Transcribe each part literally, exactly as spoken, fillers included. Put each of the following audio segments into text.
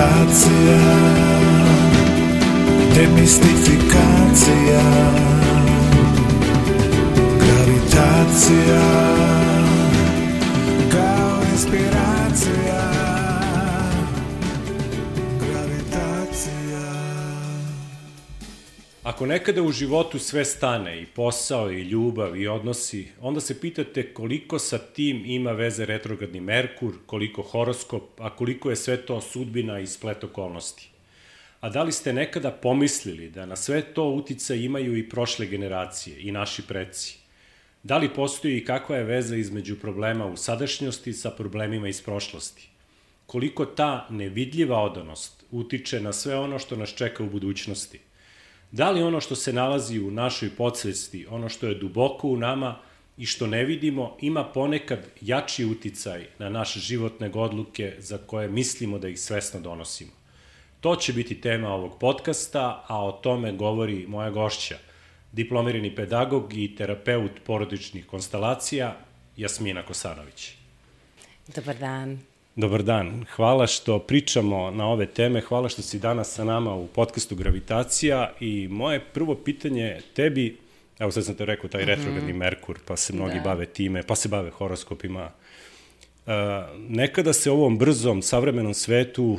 Gravitacija, demistifikacija. Gravitacija, kao inspiracija. Gravitacija. Ako nekada u životu sve stane, i posao, i ljubav, i odnosi, onda se pitate koliko sa tim ima veze retrogradni Merkur, koliko horoskop, a koliko je sve to sudbina i splet okolnosti. A da li ste nekada pomislili da na sve to uticaj imaju i prošle generacije, i naši preci? Da li postoji i kakva je veza između problema u sadašnjosti sa problemima iz prošlosti? Koliko ta nevidljiva odanost utiče na sve ono što nas čeka u budućnosti? Da li ono što se nalazi u našoj podsvesti, ono što je duboko u nama i što ne vidimo, ima ponekad jači uticaj na naše životne odluke za koje mislimo da ih svesno donosimo? To će biti tema ovog podcasta, a o tome govori moja gošća, diplomirani pedagog i terapeut porodičnih konstelacija, Jasmina Kosanović. Dobar dan. Dobar dan. Hvala što pričamo na ove teme, hvala što si danas sa nama u podcastu Gravitacija i moje prvo pitanje tebi, evo sad sam te rekao, taj retrogradni Merkur, pa se mnogi bave time, pa se bave horoskopima. Nekada se u ovom brzom, savremenom svetu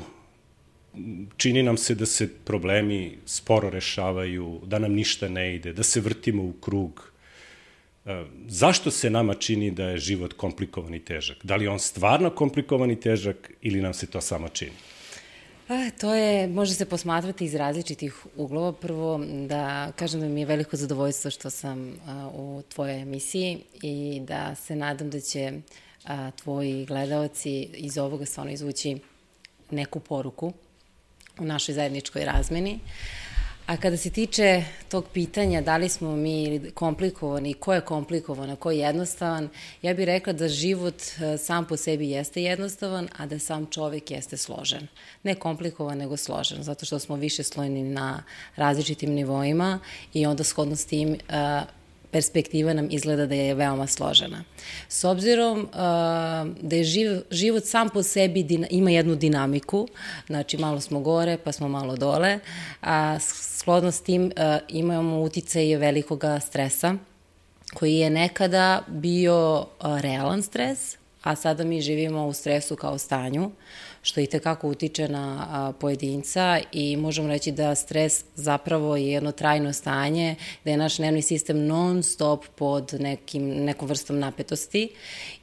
čini nam se da se problemi sporo rešavaju, da nam ništa ne ide, da se vrtimo u krug. Zašto se nama čini da je život komplikovan i težak? Da li je on stvarno komplikovan i težak ili nam se to samo čini? A, to je, može se posmatrati iz različitih uglova. Prvo, da kažem da mi je veliko zadovoljstvo što sam a, u tvojoj emisiji i da se nadam da će a, tvoji gledaoci iz ovoga stvarno izvući neku poruku u našoj zajedničkoj razmeni. A kada se tiče tog pitanja da li smo mi komplikovani, ko je komplikovan, a ko je jednostavan, ja bih rekla da život sam po sebi jeste jednostavan, a da sam čovek jeste složen. Ne komplikovan, nego složen, zato što smo više slojni na različitim nivoima i onda shodno s tim perspektiva nam izgleda da je veoma složena. S obzirom uh, da je živ, život sam po sebi din, ima jednu dinamiku, znači malo smo gore pa smo malo dole, a shodno s tim uh, imamo uticaje velikoga stresa koji je nekada bio uh, realan stres, a sada mi živimo u stresu kao stanju, što i tekako utiče na a, pojedinca i možemo reći da stres zapravo je jedno trajno stanje, da je naš nervni sistem non stop pod nekim, nekom vrstom napetosti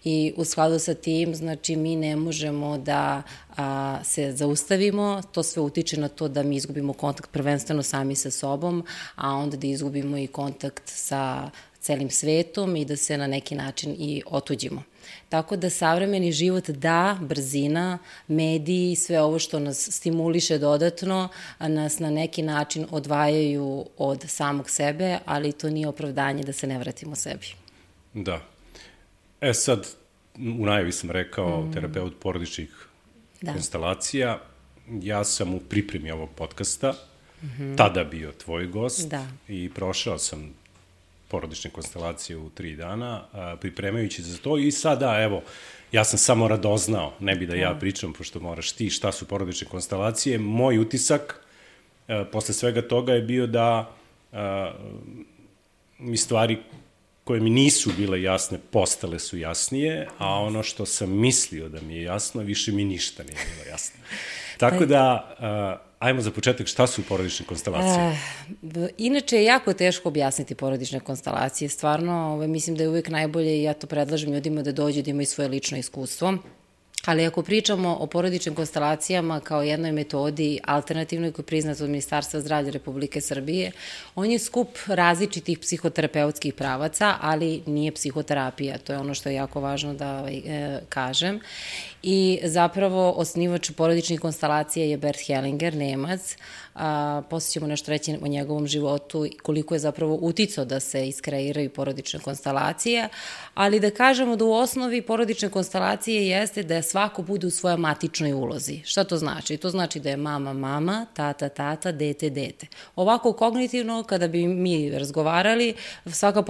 i u skladu sa tim, znači mi ne možemo da a, se zaustavimo, to sve utiče na to da mi izgubimo kontakt prvenstveno sami sa sobom, a onda da izgubimo i kontakt sa celim svetom i da se na neki način i otuđimo. Tako da savremeni život, da, brzina, mediji, sve ovo što nas stimuliše dodatno, nas na neki način odvajaju od samog sebe, ali to nije opravdanje da se ne vratimo sebi. Da. E sad, u najavi sam rekao mm. terapeut porodičnih da. konstelacija. Ja sam u pripremi ovog podcasta, mm-hmm. tada bio tvoj gost da. i prošao sam porodične konstelacije u tri dana, a, pripremajući za to i sada, evo, ja sam samo radoznao, ne bi da ja pričam, pošto moraš ti šta su porodične konstelacije. Moj utisak a, posle svega toga je bio da a, mi stvari koje mi nisu bile jasne, postale su jasnije, a ono što sam mislio da mi je jasno, više mi ništa nije bilo jasno. Tako da, uh, ajmo za početak, šta su porodične konstelacije? E, inače je jako teško objasniti porodične konstelacije. Stvarno, ovaj, mislim da je uvijek najbolje i ja to predlažem ljudima da dođu da imaju svoje lično iskustvo. Ali ako pričamo o porodičnim konstelacijama kao jednoj metodi alternativnoj koja je priznata od Ministarstva zdravlja Republike Srbije, on je skup različitih psihoterapeutskih pravaca, ali nije psihoterapija. To je ono što je jako važno da e, kažem. I zapravo osnivač porodičnih konstelacija je Bert Hellinger, Nemac. A, poslije ćemo nešto reći o njegovom životu i koliko je zapravo uticao da se iskreiraju porodične konstelacije, ali da kažemo da u osnovi porodične konstelacije jeste da svako bude u svojoj matičnoj ulozi. Šta to znači? To znači da je mama mama, tata tata, dete dete. Ovako kognitivno, kada bi mi razgovarali, svaka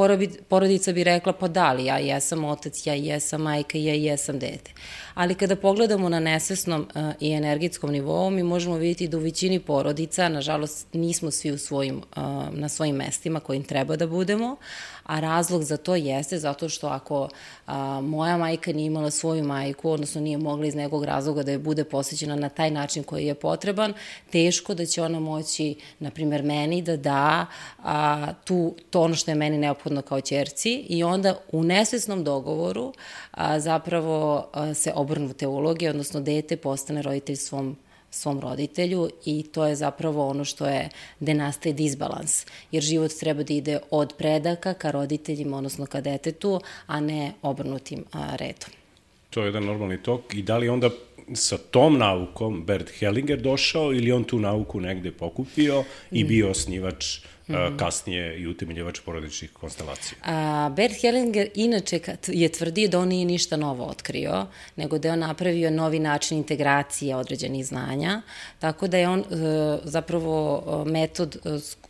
porodica bi rekla, pa da li, ja jesam otac, ja jesam majka, ja jesam dete. Ali kada pogledamo na nesvesnom uh, i energetskom nivou, mi možemo vidjeti da u većini porodica, nažalost, nismo svi u svojim, uh, na svojim mestima kojim treba da budemo, a razlog za to jeste zato što ako a, moja majka nije imala svoju majku, odnosno nije mogla iz nekog razloga da je bude posvećena na taj način koji je potreban, teško da će ona moći, na primjer, meni da da a, tu, to ono što je meni neophodno kao ćerci i onda u nesvesnom dogovoru a, zapravo a, se obrnu te uloge, odnosno dete postane roditelj svom svom roditelju i to je zapravo ono što je, gde nastaje disbalans, jer život treba da ide od predaka ka roditeljima, odnosno ka detetu, a ne obrnutim a, redom. To je jedan normalni tok i da li onda sa tom naukom Bert Hellinger došao ili on tu nauku negde pokupio i bio osnivač mm-hmm. kasnije i utemeljivač porodičnih konstelacija? A, Bert Hellinger inače je tvrdio da on nije ništa novo otkrio, nego da je on napravio novi način integracije određenih znanja, tako da je on zapravo metod,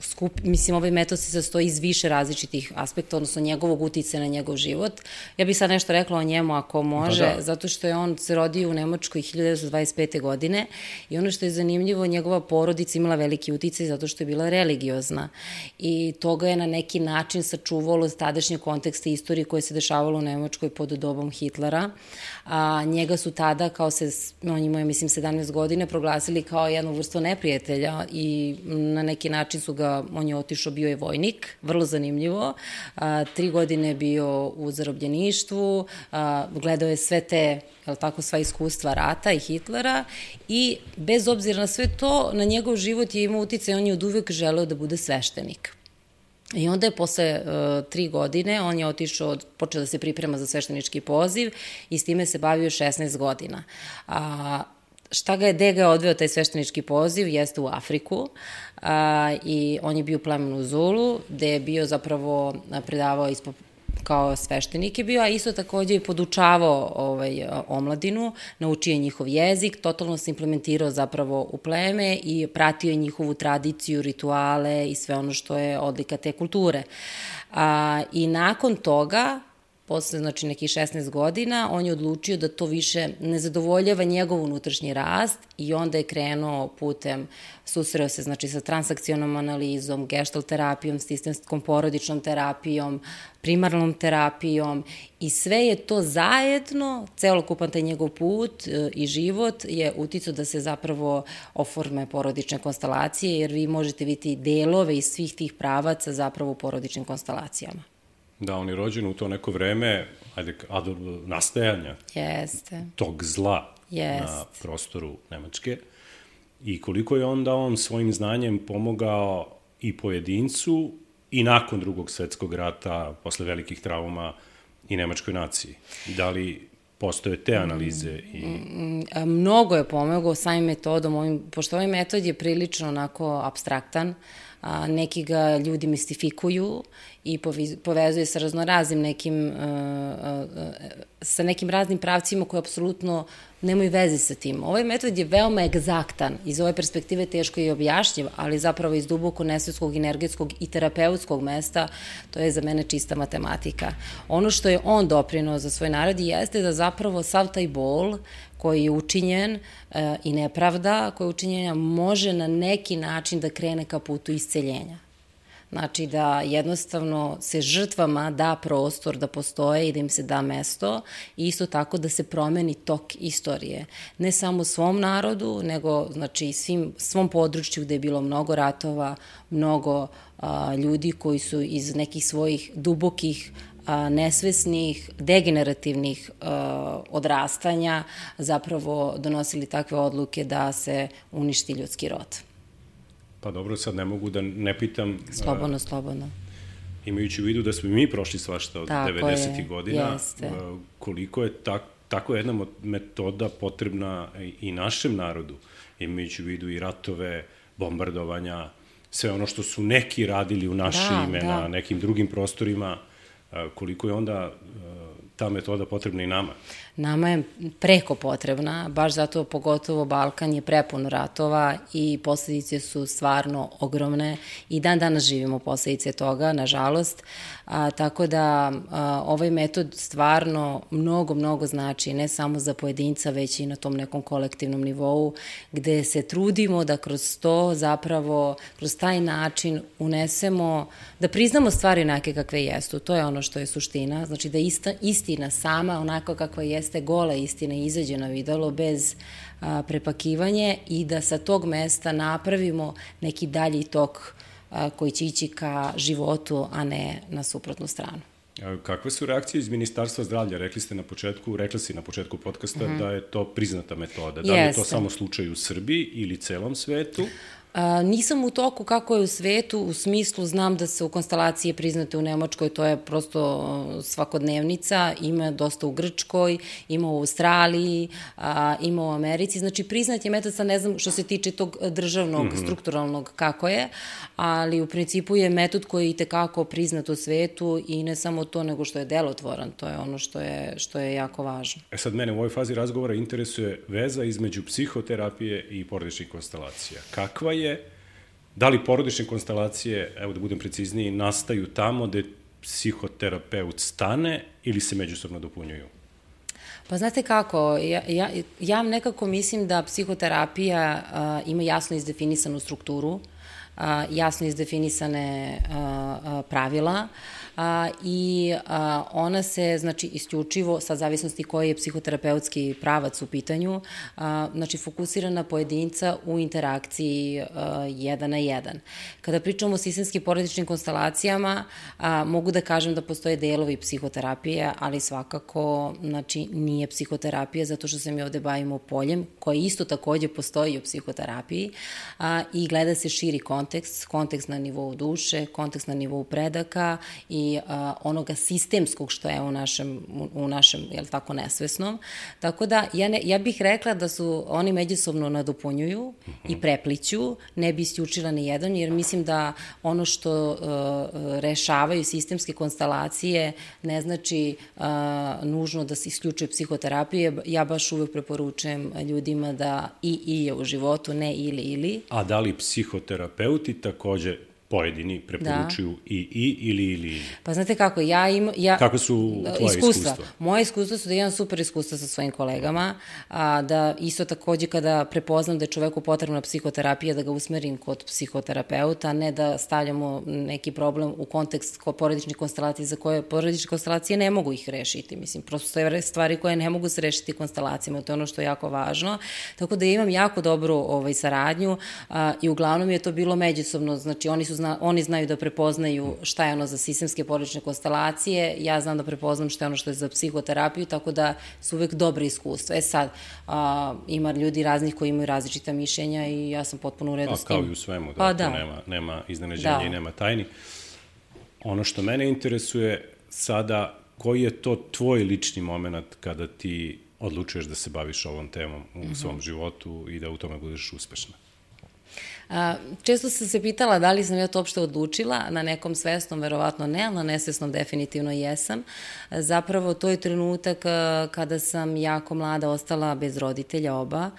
skup, mislim ovaj metod se sastoji iz više različitih aspekta, odnosno njegovog uticaja na njegov život. Ja bih sad nešto rekla o njemu ako može, da, da. Zato što je on se rodio u Nemačkoj hiljadu devetsto dvadeset pete. godine i ono što je zanimljivo, njegova porodica imala veliki uticaj zato što je bila religiozna i toga je na neki način sačuvalo tadašnje kontekste istorije koje se dešavalo u Nemačkoj pod dobom Hitlera. A, njega su tada, kao se, on imao je, mislim, sedamnaest godine, proglasili kao jednu vrstu neprijatelja i na neki način su ga, on je otišao, bio je vojnik, vrlo zanimljivo. A, tri godine je bio u zarobljeništvu, a, gledao je sve te, jel tako, sva iskustva rata i Hitlera i bez obzira na sve to, na njegov život je imao uticaj, on je od uvek želeo da bude sveštenik. I onda je posle uh, tri godine, on je otišao, počeo da se priprema za sveštenički poziv i s time se bavio šesnaest godina. A, šta ga je, gde ga je odveo taj sveštenički poziv, jeste u Afriku a, i on je bio u plemenu Zulu, gde je bio zapravo predavao ispod kao sveštenik je bio, a isto takođe i podučavao ovaj, omladinu, naučio je njihov jezik, totalno se implementirao zapravo u pleme i pratio je njihovu tradiciju, rituale i sve ono što je odlika te kulture. A, I nakon toga, posle znači nekih šesnaest godina, on je odlučio da to više ne zadovoljava njegov unutrašnji rast i onda je krenuo putem, susreo se znači sa transakcionom analizom, gestalt terapijom, sistemskom porodičnom terapijom, primarnom terapijom i sve je to zajedno, celokupan taj njegov put e, i život je uticao da se zapravo oforme porodične konstelacije, jer vi možete vidjeti delove iz svih tih pravaca zapravo u porodičnim konstelacijama. Da, on je rođen u to neko vreme, ajde, nastajanja Jeste. tog zla Jest. na prostoru Nemačke i koliko je onda on svojim znanjem pomogao i pojedincu i nakon drugog svetskog rata, posle velikih trauma i nemačkoj naciji. Da li postoje te analize? I... Mnogo je pomogao samim metodom, ovim, pošto ovaj metod je prilično onako apstraktan, a, neki ga ljudi mistifikuju i povezuje sa raznoraznim nekim, a, a, sa nekim raznim pravcima koji apsolutno nemaju veze sa tim. Ovaj metod je veoma egzaktan, iz ove perspektive teško je objašnjiv, ali zapravo iz duboko nesvetskog, energetskog i terapeutskog mesta, to je za mene čista matematika. Ono što je on doprinao za svoj narod jeste da zapravo sav taj bol koji je učinjen e, i nepravda koja je učinjena može na neki način da krene ka putu isceljenja. Znači da jednostavno se žrtvama da prostor da postoje i da im se da mesto i isto tako da se promeni tok istorije. Ne samo svom narodu, nego znači svim, svom području gde je bilo mnogo ratova, mnogo a, ljudi koji su iz nekih svojih dubokih a, nesvesnih, degenerativnih a, odrastanja zapravo donosili takve odluke da se uništi ljudski rod. Pa dobro, sad ne mogu da ne pitam... Slobodno, slobodno. Imajući u vidu da smo i mi prošli svašta od devedesetih godina, jeste. Koliko je tak, tako jedna metoda potrebna i našem narodu, imajući u vidu i ratove, bombardovanja, sve ono što su neki radili u naše da, ime da. na nekim drugim prostorima, koliko je onda ta metoda potrebna i nama? nama je preko potrebna, baš zato pogotovo Balkan je prepun ratova i posledice su stvarno ogromne i dan danas živimo posledice toga, nažalost, a, tako da a, ovaj metod stvarno mnogo, mnogo znači ne samo za pojedinca, već i na tom nekom kolektivnom nivou, gde se trudimo da kroz to zapravo, kroz taj način unesemo, da priznamo stvari neke kakve jesu. To je ono što je suština, znači da ista, istina sama, onako kakva jeste, gola istina, izađe na videlo bez a, prepakivanje i da sa tog mesta napravimo neki dalji tok a, koji će ići ka životu, a ne na suprotnu stranu. Kakve su reakcije iz Ministarstva zdravlja? Rekli ste na početku, rekla si na početku podcasta mm-hmm. da je to priznata metoda. Da li je to samo slučaj u Srbiji ili celom svetu? A, nisam u toku kako je u svetu, u smislu znam da se u konstalacije priznate u Nemačkoj, to je prosto svakodnevnica, ima dosta u Grčkoj, ima u Australiji, a, ima u Americi, znači priznat je metod, sad ne znam što se tiče tog državnog, mm-hmm. strukturalnog kako je, ali u principu je metod koji je i tekako priznat u svetu i ne samo to, nego što je delotvoran, to je ono što je, što je jako važno. E sad mene u ovoj fazi razgovora interesuje veza između psihoterapije i porodičnih konstalacija. Kakva je je, da li porodične konstelacije, evo da budem precizniji, nastaju tamo gde psihoterapeut stane ili se međusobno dopunjuju? Pa znate kako, ja, ja, ja nekako mislim da psihoterapija a, ima jasno izdefinisanu strukturu, a, jasno izdefinisane a, a, pravila, a, i a, ona se, znači, isključivo, sa zavisnosti koji je psihoterapeutski pravac u pitanju, a, znači, fokusira na pojedinca u interakciji a, jedan na jedan. Kada pričamo o sistemskim porodičnim konstelacijama, a, mogu da kažem da postoje delovi psihoterapije, ali svakako, znači, nije psihoterapija, zato što se mi ovde bavimo poljem, koje isto takođe postoji u psihoterapiji, a, i gleda se širi kontekst, kontekst na nivou duše, kontekst na nivou predaka i i a, onoga sistemskog što je u našem, u, u našem, jel tako, nesvesnom. Tako da, ja, ne, ja bih rekla da su oni međusobno nadopunjuju uh-huh. i prepliću, ne bi isključila ni jedan, jer mislim da ono što uh, rešavaju sistemske konstelacije ne znači uh, nužno da se isključuje psihoterapije. Ja baš uvek preporučujem ljudima da i i je u životu, ne ili ili. A da li psihoterapeuti takođe pojedini preporučuju da. i i ili ili ili? Pa znate kako, ja imam... Ja, kako su tvoje iskustva? iskustva? Moje iskustva su da imam super iskustva sa svojim kolegama, a, da isto takođe kada prepoznam da je čoveku potrebna psihoterapija, da ga usmerim kod psihoterapeuta, ne da stavljamo neki problem u kontekst porodičnih konstelacija za koje porodične konstelacije ne mogu ih rešiti. Mislim, prosto stoje stvari koje ne mogu se rešiti konstelacijama, to je ono što je jako važno. Tako da imam jako dobru ovaj, saradnju a, i uglavnom je to bilo međusobno, znači oni su Zna, oni znaju da prepoznaju šta je ono za sistemske porodične konstelacije, ja znam da prepoznam šta je ono što je za psihoterapiju, tako da su uvek dobre iskustva. E sad, a, ima ljudi raznih koji imaju različita mišljenja i ja sam potpuno u redu a, s tim. Kao i u svemu, da, pa, da. nema, nema iznenađenja da. i nema tajni. Ono što mene interesuje sada, koji je to tvoj lični moment kada ti odlučuješ da se baviš ovom temom u mm-hmm. svom životu i da u tome budeš uspešna? A, često sam se pitala da li sam ja to uopšte odlučila, na nekom svesnom verovatno ne, ali na nesvesnom definitivno jesam. Zapravo to je trenutak kada sam jako mlada ostala bez roditelja oba,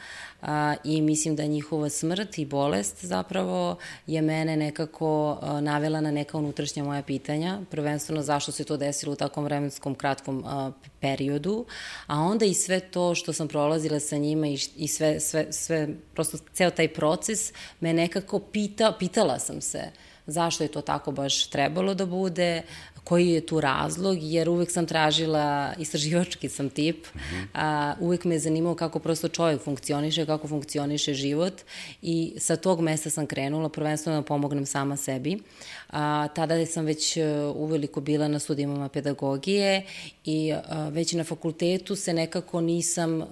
a, i mislim da njihova smrt i bolest zapravo je mene nekako a, navela na neka unutrašnja moja pitanja, prvenstveno zašto se to desilo u takvom vremenskom kratkom a, periodu, a onda i sve to što sam prolazila sa njima i, i sve, sve, sve, prosto ceo taj proces me nekako pita, pitala sam se zašto je to tako baš trebalo da bude, koji je tu razlog, jer uvek sam tražila, istraživački sam tip, mm-hmm. a, uvek me je zanimalo kako prosto čovjek funkcioniše, kako funkcioniše život i sa tog mesta sam krenula, prvenstveno da pomognem sama sebi. A, tada sam već uveliko bila na studijama pedagogije i a, već na fakultetu se nekako nisam a,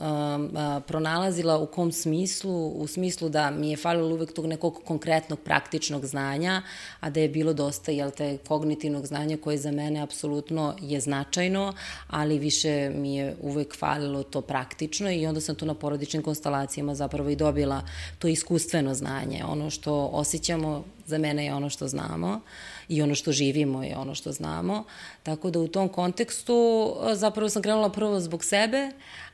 a, pronalazila u kom smislu, u smislu da mi je falilo uvek tog nekog konkretnog praktičnog znanja, a da je bilo dosta, jel te, kognitivnog znanja koje za mene apsolutno je značajno, ali više mi je uvek falilo to praktično i onda sam tu na porodičnim konstalacijama zapravo i dobila to iskustveno znanje. Ono što osjećamo za mene je ono što znamo i ono što živimo je ono što znamo. Tako da u tom kontekstu zapravo sam krenula prvo zbog sebe,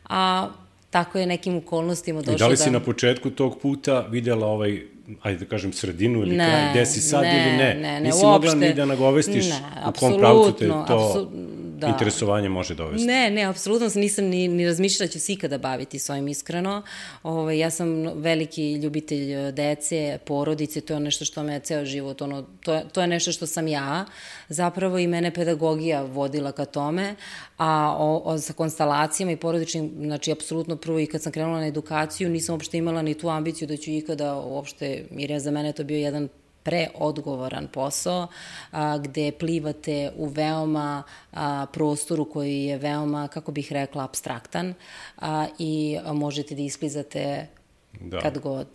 a tako je nekim okolnostima došlo da... I da li si na početku tog puta videla ovaj, ajde da kažem, sredinu ili kraj, gde si sad ne, ili ne? Ne, ne, Nisi uopšte. mogla ni da nagovestiš ne, u kom pravcu te to apsu, da. interesovanje može dovesti? Ne, ne, apsolutno nisam ni, ni razmišljala da ću se ikada baviti s ovim iskreno. Ove, ja sam veliki ljubitelj dece, porodice, to je nešto što me ceo život, ono, to, je, to je nešto što sam ja, zapravo i mene pedagogija vodila ka tome, a o, o, sa konstalacijama i porodičnim, znači, apsolutno prvo i kad sam krenula na edukaciju, nisam uopšte imala ni tu ambiciju da ću ikada uopšte, jer je za mene to bio jedan preodgovoran posao, a, gde plivate u veoma a, prostoru koji je veoma, kako bih rekla, apstraktan a, i a, možete da isklizate da. kad god.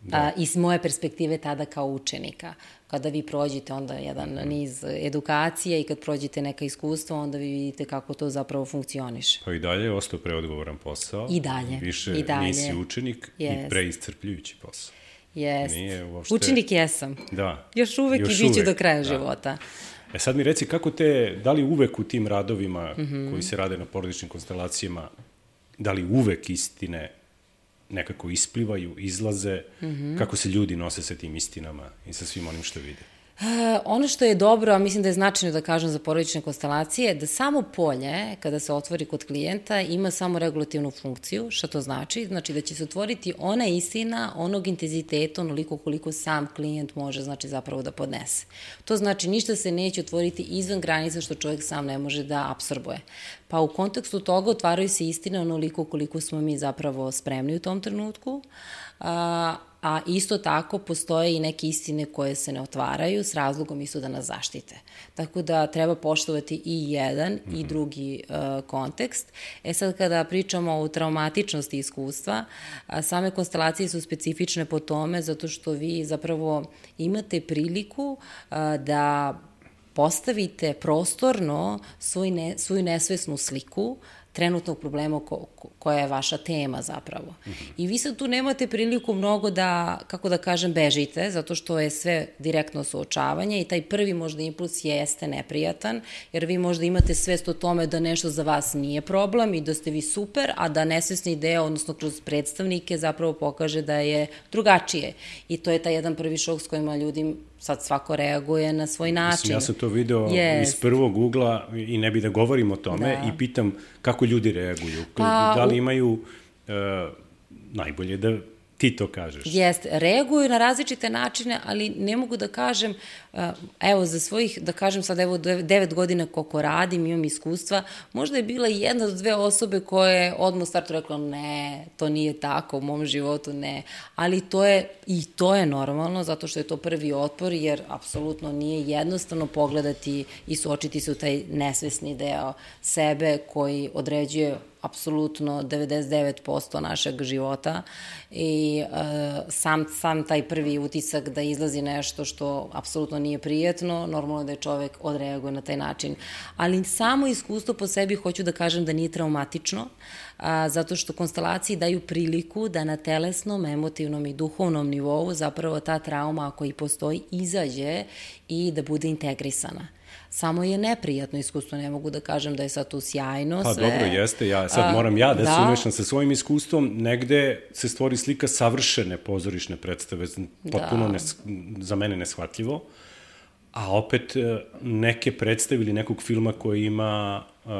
Da. A, iz moje perspektive tada kao učenika. Kada vi prođete onda jedan niz edukacije i kad prođete neka iskustva, onda vi vidite kako to zapravo funkcioniše. Pa i dalje je ostao preodgovoran posao. I dalje. Više I dalje. Nisi učenik yes. i preiscrpljujući posao. Jest. Uopšte... Učenik jesam. Da. Još uvek Još i bit ću do kraja da. života. E sad mi reci, kako te, da li uvek u tim radovima mm -hmm. koji se rade na porodičnim konstelacijama, da li uvek istine nekako isplivaju, izlaze, mm -hmm. kako se ljudi nose sa tim istinama i sa svim onim što vide? Uh, ono što je dobro, a mislim da je značajno da kažem za porodične konstelacije, da samo polje, kada se otvori kod klijenta, ima samo regulativnu funkciju. Šta to znači? Znači da će se otvoriti ona istina onog intenziteta, onoliko koliko sam klijent može, znači, zapravo da podnese. To znači ništa se neće otvoriti izvan granica što čovjek sam ne može da apsorbuje. Pa u kontekstu toga otvaraju se istine onoliko koliko smo mi zapravo spremni u tom trenutku, a, a isto tako postoje i neke istine koje se ne otvaraju s razlogom isto da nas zaštite. Tako da treba poštovati i jedan mm-hmm. i drugi uh, kontekst. E sad kada pričamo o traumatičnosti iskustva, a, same konstelacije su specifične po tome zato što vi zapravo imate priliku a, da postavite prostorno svoj ne, svoju nesvesnu sliku trenutnog problema ko, ko, koja je vaša tema zapravo. Mm-hmm. I vi sad tu nemate priliku mnogo da, kako da kažem, bežite, zato što je sve direktno suočavanje i taj prvi možda impuls jeste neprijatan, jer vi možda imate svest o tome da nešto za vas nije problem i da ste vi super, a da nesvesni deo, odnosno kroz predstavnike, zapravo pokaže da je drugačije. I to je taj jedan prvi šok s kojima ljudi sad svako reaguje na svoj način. Mislim, ja sam to video yes. iz prvog ugla i ne bi da govorim o tome da. i pitam kako ljudi reaguju. Pa, da li imaju uh, najbolje da ti to kažeš? Jeste, reaguju na različite načine, ali ne mogu da kažem, evo za svojih, da kažem sad, evo devet godina koliko radim, imam iskustva, možda je bila jedna do dve osobe koje odmah u startu rekla ne, to nije tako, u mom životu ne, ali to je, i to je normalno, zato što je to prvi otpor, jer apsolutno nije jednostavno pogledati i suočiti se u taj nesvesni deo sebe koji određuje apsolutno devedeset devet posto našeg života i uh, sam, sam taj prvi utisak da izlazi nešto što apsolutno nije prijetno, normalno da je čovek odreaguje na taj način. Ali samo iskustvo po sebi hoću da kažem da nije traumatično, a, zato što konstelacije daju priliku da na telesnom, emotivnom i duhovnom nivou zapravo ta trauma, ako i postoji, izađe i da bude integrisana. Samo je neprijatno iskustvo, ne mogu da kažem da je sad tu sjajno pa, sve. Pa dobro, jeste, ja sad moram ja da, da se umešam sa svojim iskustvom, negde se stvori slika savršene pozorišne predstave, potpuno da. nes, za mene neshvatljivo, a opet neke predstave ili nekog filma koji ima uh,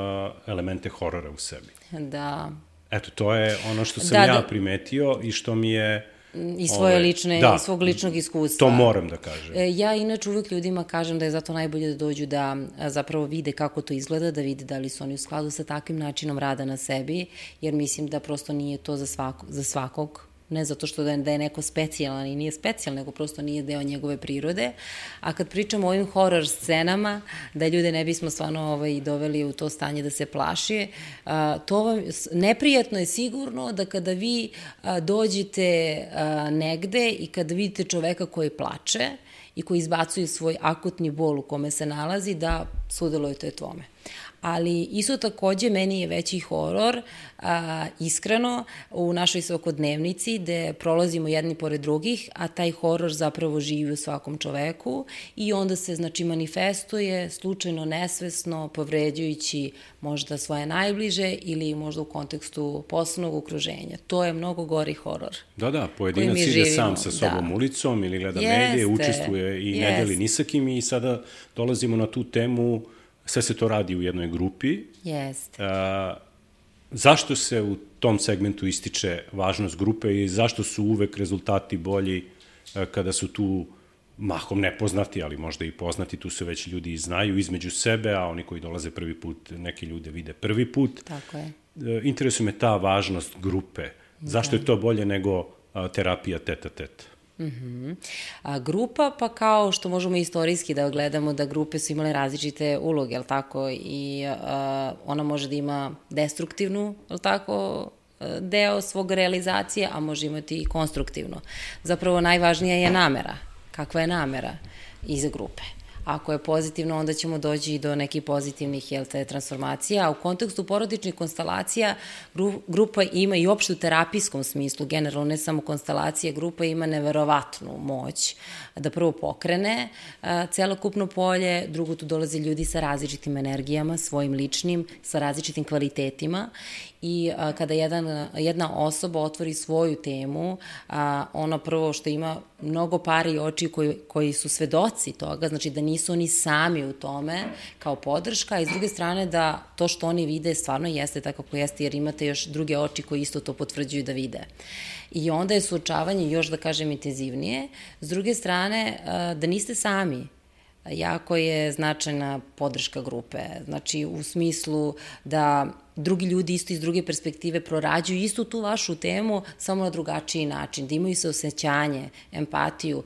elemente horora u sebi. Da. Eto, to je ono što sam da, ja da. primetio i što mi je... I svoje ove, lične, da, i svog ličnog iskustva. To moram da kažem. Ja inače uvek ljudima kažem da je zato najbolje da dođu da zapravo vide kako to izgleda, da vide da li su oni u skladu sa takvim načinom rada na sebi, jer mislim da prosto nije to za, svako, za svakog, ne zato što da je, da je neko specijalan i nije specijalan, nego prosto nije deo njegove prirode. A kad pričamo o ovim horor scenama, da ljude ne bismo stvarno ovaj, doveli u to stanje da se plaši, a, to vam, neprijatno je sigurno da kada vi a, dođete a, negde i kada vidite čoveka koji plače i koji izbacuju svoj akutni bol u kome se nalazi da sudelujete u tome. Ali isto takođe meni je veći horor, a, iskreno, u našoj svakodnevnici gde prolazimo jedni pored drugih, a taj horor zapravo živi u svakom čoveku i onda se, znači, manifestuje slučajno, nesvesno, povređujući možda svoje najbliže ili možda u kontekstu poslovnog okruženja. To je mnogo gori horor. Da, da, pojedinac ide živimo. sam sa sobom da. ulicom ili gleda Jeste, medije, učestvuje i jeste. ne deli ni sa kim i sada dolazimo na tu temu. Sve se to radi u jednoj grupi. Jeste. A, zašto se u tom segmentu ističe važnost grupe i zašto su uvek rezultati bolji a, kada su tu mahom nepoznati, ali možda i poznati, tu se već ljudi znaju između sebe, a oni koji dolaze prvi put, neki ljude vide prvi put. Tako je. A, interesuje me ta važnost grupe. Zašto da. je to bolje nego a, terapija tet-a-tet? Uh-huh. A grupa, pa kao što možemo istorijski da gledamo da grupe su imale različite uloge, jel tako, i a, ona može da ima destruktivnu, jel tako, deo svog realizacije, a može imati i konstruktivno. Zapravo najvažnija je namera. Kakva je namera iza grupe? Ako je pozitivno, onda ćemo doći i do nekih pozitivnih, jel te, transformacija. A u kontekstu porodičnih konstelacija gru, grupa ima i uopšte u terapijskom smislu, generalno ne samo konstelacije, grupa ima neverovatnu moć da prvo pokrene a, celokupno polje, drugo tu dolaze ljudi sa različitim energijama, svojim ličnim, sa različitim kvalitetima i a, kada jedan, jedna osoba otvori svoju temu, a, ono prvo što ima mnogo pari i oči koji, koji su svedoci toga, znači da nisu oni sami u tome kao podrška, i s druge strane da to što oni vide stvarno jeste tako kako jeste, jer imate još druge oči koji isto to potvrđuju da vide. I onda je suočavanje još, da kažem, intenzivnije. S druge strane, da niste sami. Jako je značajna podrška grupe. Znači, u smislu da drugi ljudi isto iz druge perspektive prorađuju istu tu vašu temu, samo na drugačiji način, da imaju saosećanje, empatiju,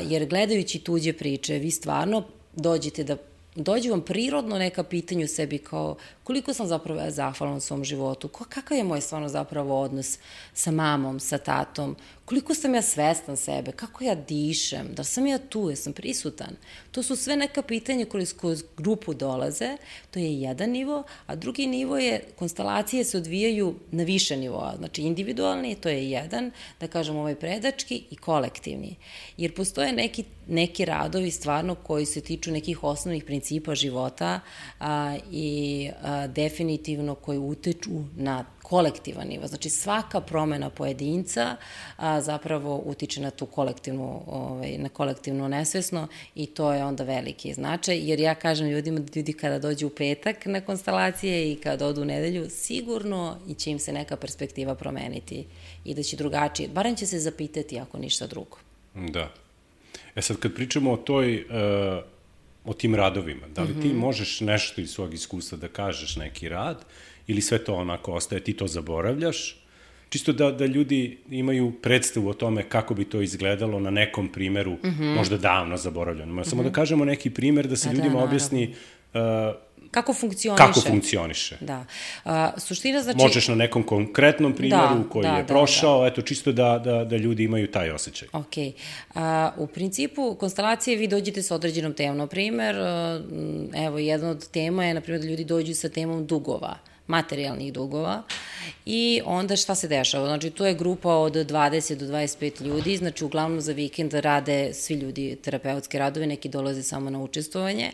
jer gledajući tuđe priče, vi stvarno dođete da dođe vam prirodno neka pitanja u sebi kao koliko sam zapravo ja zahvalan u svom životu, kakav je moj stvarno zapravo odnos sa mamom, sa tatom, koliko sam ja svestan sebe, kako ja dišem, da sam ja tu, ja sam prisutan. To su sve neka pitanja koje kroz grupu dolaze, to je jedan nivo, a drugi nivo je, konstelacije se odvijaju na više nivoa, znači individualni, to je jedan, da kažem ovaj predački i kolektivni. Jer postoje neki, neki radovi stvarno koji se tiču nekih osnovnih principa života a, i a, definitivno koji utiču na kolektivan nivo. Znači svaka promena pojedinca a, zapravo utiče na tu kolektivnu, ovaj, na kolektivno nesvesno i to je onda veliki značaj, jer ja kažem ljudima da ljudi kada dođu u petak na konstelacije i kada odu u nedelju, sigurno i će im se neka perspektiva promeniti i da će drugačije, barem će se zapitati ako ništa drugo. Da. E sad kad pričamo o toj, uh, o tim radovima, da li mm-hmm. ti možeš nešto iz svog iskustva da kažeš neki rad ili sve to onako ostaje, ti to zaboravljaš, čisto da, da ljudi imaju predstavu o tome kako bi to izgledalo na nekom primeru, mm-hmm. možda davno zaboravljeno. Mm-hmm. Samo da kažemo neki primer da se da, ljudima da, objasni uh, kako funkcioniše. Kako funkcioniše. Da. A, suština znači... Možeš na nekom konkretnom primjeru da, koji da, je da, prošao, da. eto, čisto da, da, da ljudi imaju taj osjećaj. Ok. A, u principu, konstelacije vi dođete sa određenom temom. Na primer, evo, jedna od tema je, na primjer, da ljudi dođu sa temom dugova, materijalnih dugova, i onda šta se dešava? Znači, to je grupa od dvadeset do dvadeset pet ljudi, znači, uglavnom za vikend rade svi ljudi terapeutske radove, neki dolaze samo na učestvovanje.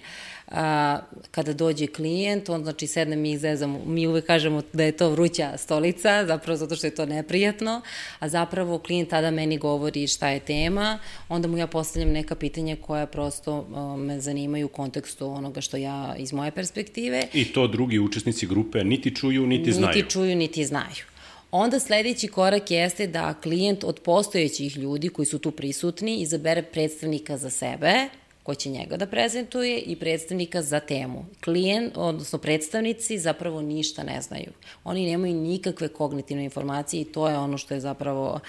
A, kada dođe klijent, on, znači, sedne mi ih zezamo, mi uvek kažemo da je to vruća stolica, zapravo zato što je to neprijatno, a zapravo klijent tada meni govori šta je tema, onda mu ja postavljam neka pitanja koja prosto a, me zanimaju u kontekstu onoga što ja iz moje perspektive. I to drugi učesnici grupe niti čuju, niti znaju. Niti čuju, niti znaju. Onda sledeći korak jeste da klijent od postojećih ljudi koji su tu prisutni izabere predstavnika za sebe, ko će njega da prezentuje i predstavnika za temu. Klijent, odnosno predstavnici zapravo ništa ne znaju. Oni nemaju nikakve kognitivne informacije i to je ono što je zapravo...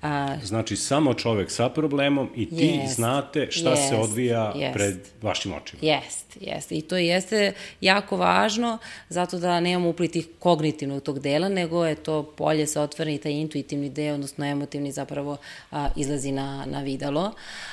A... Znači, samo čovek sa problemom i ti jest, znate šta jest, se odvija jest. pred vašim očima. Jest, jest. I to jeste jako važno, zato da nemamo upliti kognitivnog tog dela, nego je to polje sa otvoreni, taj intuitivni deo, odnosno emotivni zapravo a, izlazi na, na videlo.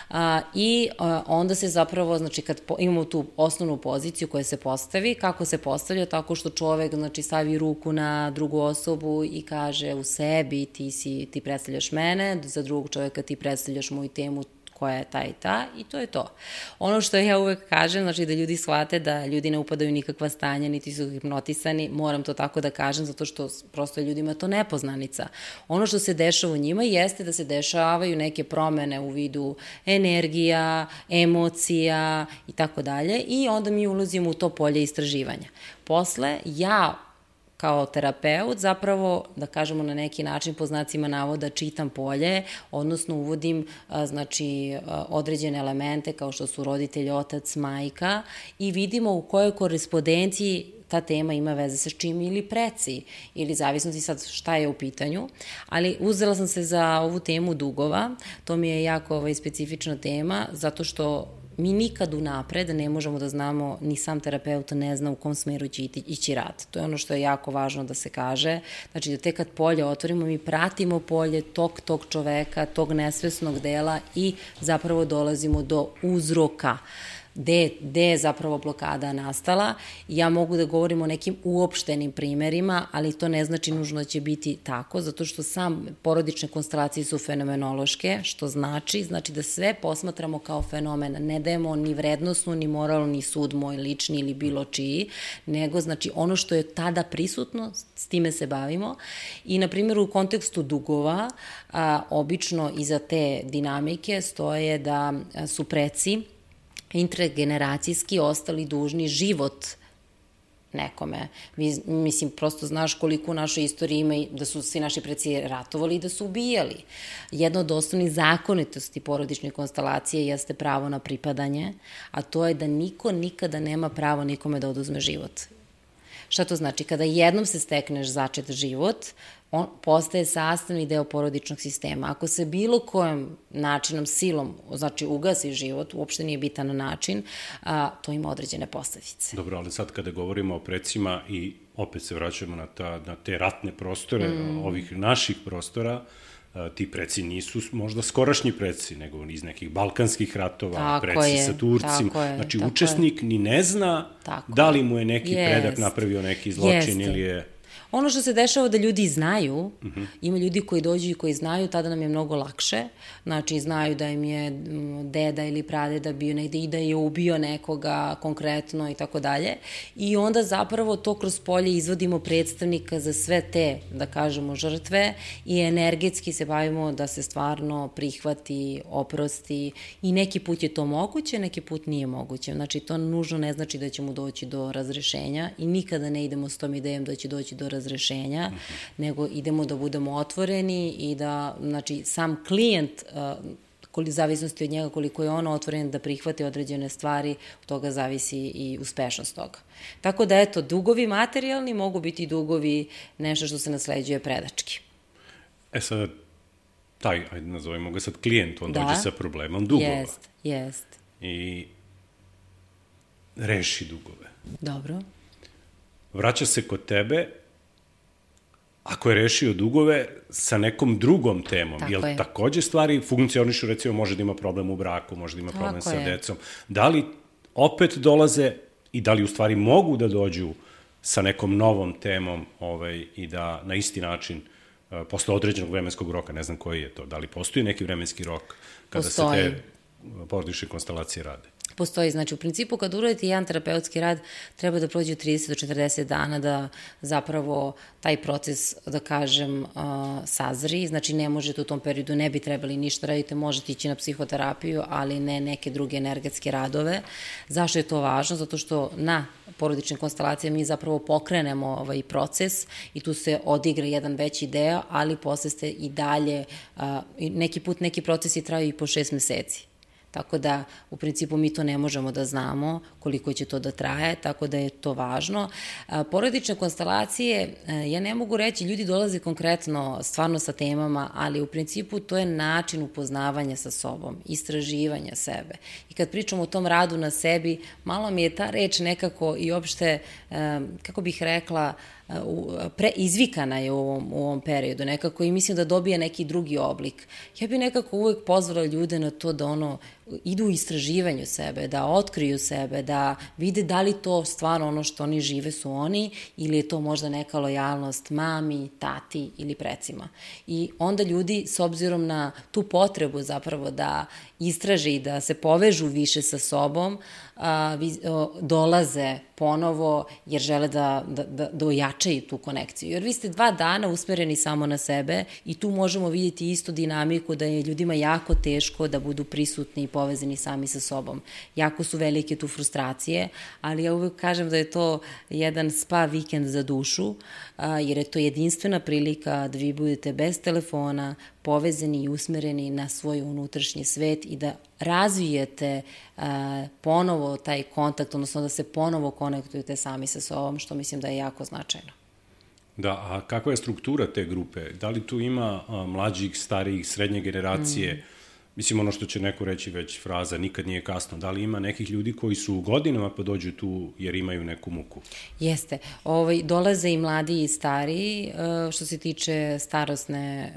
A, I a, onda se zapravo, znači kad po, imamo tu osnovnu poziciju koja se postavi, kako se postavlja, tako što čovek znači, stavi ruku na drugu osobu i kaže u sebi ti, si, ti predstavljaš mene, za drugog čoveka ti predstavljaš moju temu koja je ta i ta i to je to. Ono što ja uvek kažem, znači da ljudi shvate da ljudi ne upadaju nikakva stanja, niti su hipnotisani, moram to tako da kažem, zato što prosto ljudima to nepoznanica. Ono što se dešava u njima jeste da se dešavaju neke promene u vidu energija, emocija i tako dalje i onda mi ulazimo u to polje istraživanja. Posle, ja kao terapeut zapravo, da kažemo na neki način po znacima navoda, čitam polje, odnosno uvodim znači, određene elemente kao što su roditelj, otac, majka i vidimo u kojoj korespondenciji ta tema ima veze sa čim ili preci, ili zavisnosti sad šta je u pitanju, ali uzela sam se za ovu temu dugova, to mi je jako ovaj, specifična tema, zato što mi nikad unapred ne možemo da znamo, ni sam terapeut ne zna u kom smeru će ići rad. To je ono što je jako važno da se kaže. Znači da tek kad polje otvorimo, mi pratimo polje tog, tog čoveka, tog nesvesnog dela i zapravo dolazimo do uzroka. Gde, gde je zapravo blokada nastala. Ja mogu da govorim o nekim uopštenim primerima, ali to ne znači nužno da će biti tako, zato što sam porodične konstelacije su fenomenološke, što znači, znači da sve posmatramo kao fenomen, ne dajemo ni vrednosnu, ni moralnu, ni sud moj lični ili bilo čiji, nego znači ono što je tada prisutno, s time se bavimo. I na primjer u kontekstu dugova, a, obično iza te dinamike stoje da su preci intergeneracijski ostali dužni život nekome. Mislim, prosto znaš koliko u našoj istoriji ima da su svi naši preci ratovali i da su ubijali. Jedna od osnovnih zakonitosti porodične konstelacije jeste pravo na pripadanje, a to je da niko nikada nema pravo nikome da oduzme život. Šta to znači? Kada jednom se stekneš začet život, on postaje sastavni deo porodičnog sistema. Ako se bilo kojim načinom, silom, znači ugasi život, uopšte nije bitan način, a, to ima određene posledice. Dobro, ali sad kada govorimo o precima i opet se vraćamo na, ta, na te ratne prostore, mm. ovih naših prostora, a, ti preci nisu možda skorašnji preci, nego iz nekih balkanskih ratova, tako preci je, sa Turcima. Tako je, znači, tako učesnik je. Ni ne zna tako da li mu je neki jest, predak napravio neki zločin jeste. Ili je... Ono što se dešava da ljudi znaju, uh-huh. ima ljudi koji dođu i koji znaju, tada nam je mnogo lakše. Znači, znaju da im je deda ili pradeda bio negde i da je ubio nekoga konkretno i tako dalje. I onda zapravo to kroz polje izvodimo predstavnika za sve te, da kažemo, žrtve i energetski se bavimo da se stvarno prihvati, oprosti i neki put je to moguće, neki put nije moguće. Znači, to nužno ne znači da ćemo doći do razrešenja i nikada ne idemo s tom idejom da će doći do razrešenja, uh-huh. nego idemo da budemo otvoreni i da, znači, sam klijent, uh, zavisnosti od njega koliko je on otvoren da prihvati određene stvari, od toga zavisi i uspešnost toga. Tako da, eto, dugovi materijalni mogu biti dugovi nešto što se nasleđuje predački. E sad, taj, ajde nazovemo ga sad klijent, on da. dođe sa problemom dugova. Jest, jest. I reši dugove. Dobro. Vraća se kod tebe, ako je rešio dugove sa nekom drugom temom, tako jel je. Takođe stvari funkcionišu, recimo može da ima problem u braku, može da ima tako problem sa je. decom, da li opet dolaze i da li u stvari mogu da dođu sa nekom novom temom ovaj, i da na isti način uh, posle određenog vremenskog roka, ne znam koji je to, da li postoji neki vremenski rok kada postoji. Se te porodične konstelacije rade? Postoji, znači u principu kad uradite jedan terapeutski rad treba da prođe trideset do četrdeset dana da zapravo taj proces, da kažem, uh, sazri, znači ne možete u tom periodu, ne bi trebali ništa raditi, možete ići na psihoterapiju, ali ne neke druge energetske radove. Zašto je to važno? Zato što na porodične konstelacije mi zapravo pokrenemo ovaj proces i tu se odigra jedan veći deo, ali posle ste i dalje, uh, neki put neki procesi traju i po šest meseci. Tako da, u principu, mi to ne možemo da znamo koliko će to da traje, tako da je to važno. Porodične konstelacije, ja ne mogu reći, ljudi dolaze konkretno, stvarno sa temama, ali u principu to je način upoznavanja sa sobom, istraživanja sebe. I kad pričamo o tom radu na sebi, malo mi je ta reč nekako i uopšte, kako bih rekla, pre, izvikana je u ovom, u ovom periodu nekako i mislim da dobije neki drugi oblik. Ja bih nekako uvek pozvala ljude na to da ono, idu u istraživanju sebe, da otkriju sebe, da vide da li to stvarno ono što oni žive su oni ili je to možda neka lojalnost mami, tati ili precima. I onda ljudi, s obzirom na tu potrebu zapravo da istraže i da se povežu više sa sobom, a, dolaze ponovo jer žele da, da, da, da ojačaju tu konekciju. Jer vi ste dva dana usmereni samo na sebe i tu možemo vidjeti istu dinamiku da je ljudima jako teško da budu prisutni i povezani sami sa sobom. Jako su velike tu frustracije, ali ja uvek kažem da je to jedan spa vikend za dušu, a, jer je to jedinstvena prilika da vi budete bez telefona, povezani i usmereni na svoj unutrašnji svet i da razvijete a, ponovo taj kontakt, odnosno da se ponovo konektujete sami sa sobom, što mislim da je jako značajno. Da, a kakva je struktura te grupe? Da li tu ima a, mlađih, starijih, srednje generacije? Mm. Mislim, ono što će neko reći već fraza, nikad nije kasno. Da li ima nekih ljudi koji su u godinama pa dođu tu jer imaju neku muku? Jeste. Ovaj, dolaze i mladi i stariji, što se tiče starosne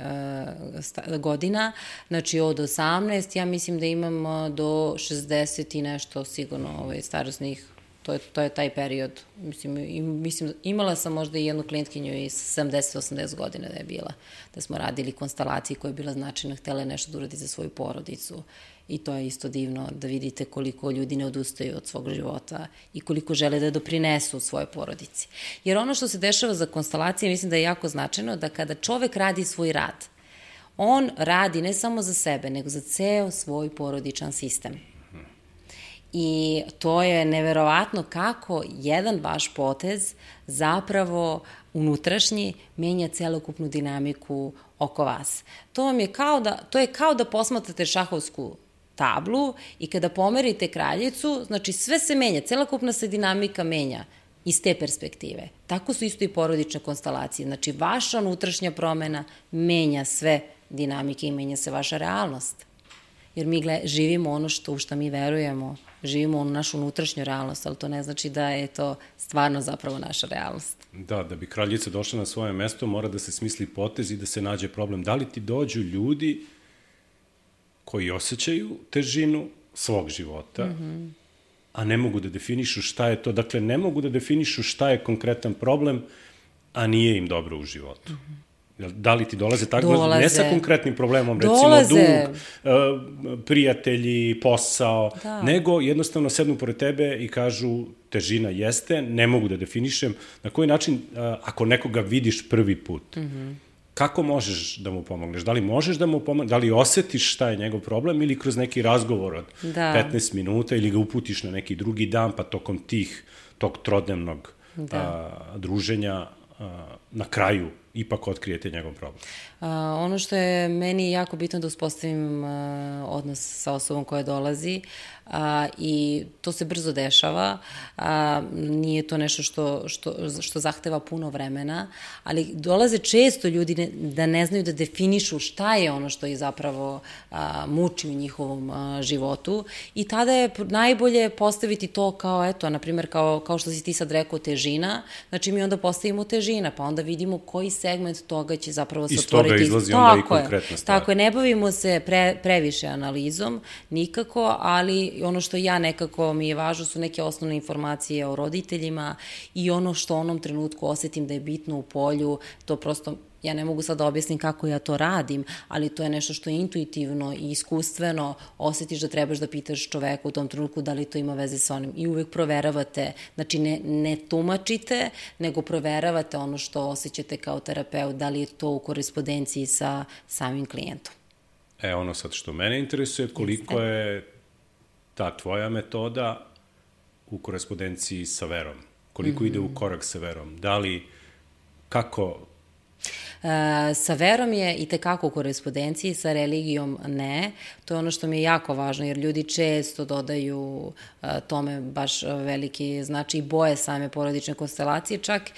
godina, znači od osamnaest, ja mislim da imamo do šezdeset i nešto sigurno ovaj, starosnih. To je, to je taj period. Mislim, mislim, imala sam možda i jednu klijentkinju iz sedamdeset osamdeset godina da je bila, da smo radili konstelacije koja je bila značajna, htjela nešto da uradi za svoju porodicu i to je isto divno da vidite koliko ljudi ne odustaju od svog života i koliko žele da doprinesu svojoj porodici. Jer ono što se dešava za konstelacije, mislim da je jako značajno da kada čovek radi svoj rad, on radi ne samo za sebe, nego za ceo svoj porodičan sistem. I to je neverovatno kako jedan vaš potez zapravo unutrašnji menja celokupnu dinamiku oko vas. To vam je kao da, to je kao da posmatrate šahovsku tablu i kada pomerite kraljicu, znači sve se menja, celokupna se dinamika menja iz te perspektive. Tako su isto i porodične konstelacije. Znači vaša unutrašnja promena menja sve dinamike i menja se vaša realnost. Jer mi gled, živimo ono što, u što mi verujemo, živimo onu našu unutrašnju realnost, ali to ne znači da je to stvarno zapravo naša realnost. Da, da bi kraljica došla na svoje mesto, mora da se smisli potez i da se nađe problem. Da li ti dođu ljudi koji osjećaju težinu svog života, mm-hmm. a ne mogu da definišu šta je to, dakle ne mogu da definišu šta je konkretan problem, a nije im dobro u životu. Mm-hmm. Da li ti dolaze tako, dolaze. Ne sa konkretnim problemom, recimo dolaze. Dug, prijatelji, posao, da. Nego jednostavno sednu pored tebe i kažu težina jeste, ne mogu da definišem. Na koji način, ako nekoga vidiš prvi put, mm-hmm. kako možeš da mu pomogneš? Da li možeš da mu pomogneš? Da li osetiš šta je njegov problem ili kroz neki razgovor od da. petnaest minuta ili ga uputiš na neki drugi dan, pa tokom tih, tog trodnevnog da. a, druženja a, na kraju ipak otkrijete njegov problem? Uh, ono što je meni jako bitno da uspostavim uh, odnos sa osobom koja dolazi uh, i to se brzo dešava, uh, nije to nešto što, što, što zahteva puno vremena, ali dolaze često ljudi ne, da ne znaju da definišu šta je ono što ih zapravo uh, muči u njihovom uh, životu i tada je najbolje postaviti to kao, eto, na primjer, kao, kao što si ti sad rekao, težina, znači mi onda postavimo težina, pa onda vidimo koji segment toga će zapravo se otvoriti. Iz toga izlazi onda i konkretna stvar. Tako je, ne bavimo se pre, previše analizom, nikako, ali ono što ja nekako mi je važno su neke osnovne informacije o roditeljima i ono što u onom trenutku osetim da je bitno u polju, to prosto ja ne mogu sad da objasnim kako ja to radim, ali to je nešto što je intuitivno i iskustveno, osjetiš da trebaš da pitaš čoveka u tom trenutku da li to ima veze sa onim i uvek proveravate, znači ne, ne tumačite, nego proveravate ono što osjećate kao terapeut, da li je to u korespondenciji sa samim klijentom. E, ono sad što mene interesuje, koliko je ta tvoja metoda u korespondenciji sa verom? Koliko mm-hmm. ide u korak sa verom? Da li, kako... Sa verom je i tekako u korespondenciji, sa religijom ne. To je ono što mi je jako važno, jer ljudi često dodaju tome baš veliki znači i boje same porodične konstelacije. Čak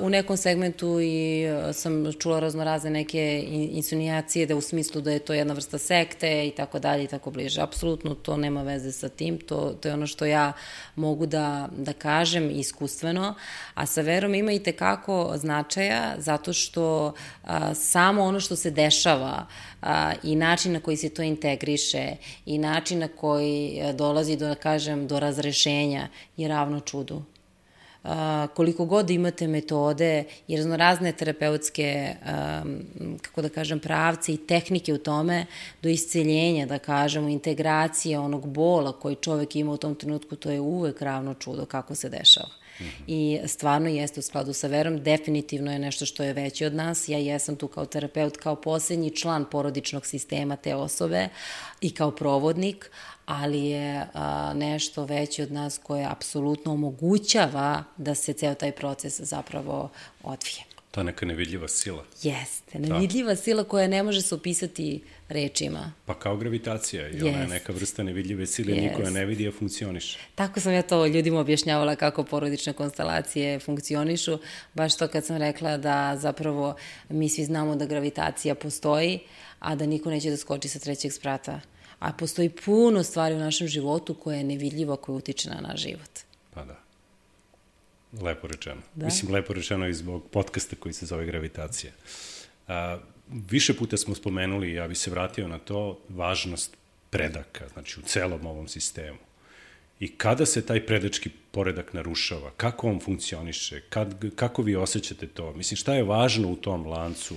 u nekom segmentu i sam čula raznorazne neke insinuacije da u smislu da je to jedna vrsta sekte i tako dalje i tako bliže. Apsolutno to nema veze sa tim, to, to je ono što ja mogu da, da kažem iskustveno, a sa verom ima i tekako značaja zato što a, samo ono što se dešava a, i način na koji se to integriše i način na koji dolazi do, da kažem, do razrešenja je ravno čudu. Uh, koliko god imate metode i raznorazne terapeutske, um, kako da kažem, pravce i tehnike u tome, do isceljenja, da kažemo, integracije onog bola koji čovek ima u tom trenutku, to je uvek ravno čudo kako se dešava. Mm-hmm. I stvarno jeste u skladu sa verom, definitivno je nešto što je veće od nas. Ja jesam tu kao terapeut, kao poslednji član porodičnog sistema te osobe i kao provodnik, ali je a, nešto veće od nas koje apsolutno omogućava da se ceo taj proces zapravo odvije. Ta neka nevidljiva sila. Jeste, nevidljiva da. sila koja ne može se opisati rečima. Pa kao gravitacija i ona je neka vrsta nevidljive sile, yes. niko je ne vidi, a funkcioniše. Tako sam ja to ljudima objašnjavala kako porodične konstelacije funkcionišu, baš to kad sam rekla da zapravo mi svi znamo da gravitacija postoji, a da niko neće da skoči sa trećeg sprata. A postoji puno stvari u našem životu koje je nevidljivo, koje utiče na naš život. Pa da. Lepo rečeno. Da? Mislim, lepo rečeno i zbog podcasta koji se zove Gravitacija. A, više puta smo spomenuli, ja bi se vratio na to, važnost predaka, znači u celom ovom sistemu. I kada se taj predački poredak narušava, kako on funkcioniše, kad, kako vi osjećate to? Mislim, šta je važno u tom lancu?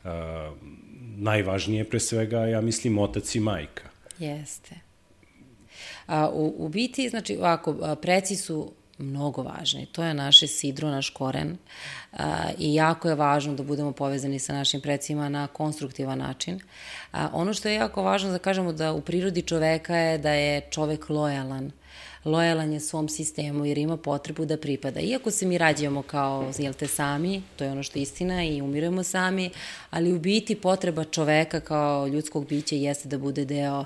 A, najvažnije pre svega, ja mislim, otac i majka. Jeste. A, u, u biti, znači, ovako, preci su mnogo važni. To je naše sidro, naš koren a, i jako je važno da budemo povezani sa našim precima na konstruktivan način. A, ono što je jako važno da kažemo da u prirodi čoveka je da je čovek lojalan. Lojalan je svom sistemu jer ima potrebu da pripada. Iako se mi rađamo kao, jel te, sami, to je ono što je istina i umiremo sami, ali u biti potreba čoveka kao ljudskog bića jeste da bude deo,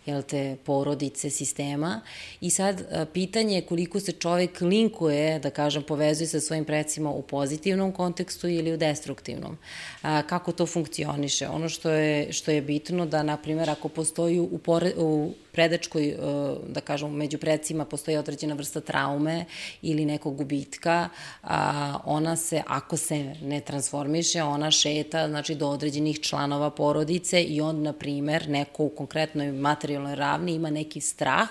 jel te, porodice, sistema. I sad pitanje je koliko se čovek linkuje, da kažem, povezuje sa svojim precima u pozitivnom kontekstu ili u destruktivnom. A, kako to funkcioniše? Ono što je, što je bitno da, na primjer, ako postoji u, pore, u predačkoj, da kažem, među precima postoji određena vrsta traume ili nekog gubitka, a, ona se, ako se ne transformiše, ona šeta, znači, do određenih članova porodice i on, na primjer, neko u konkretnoj materijalnoj ravni ima neki strah,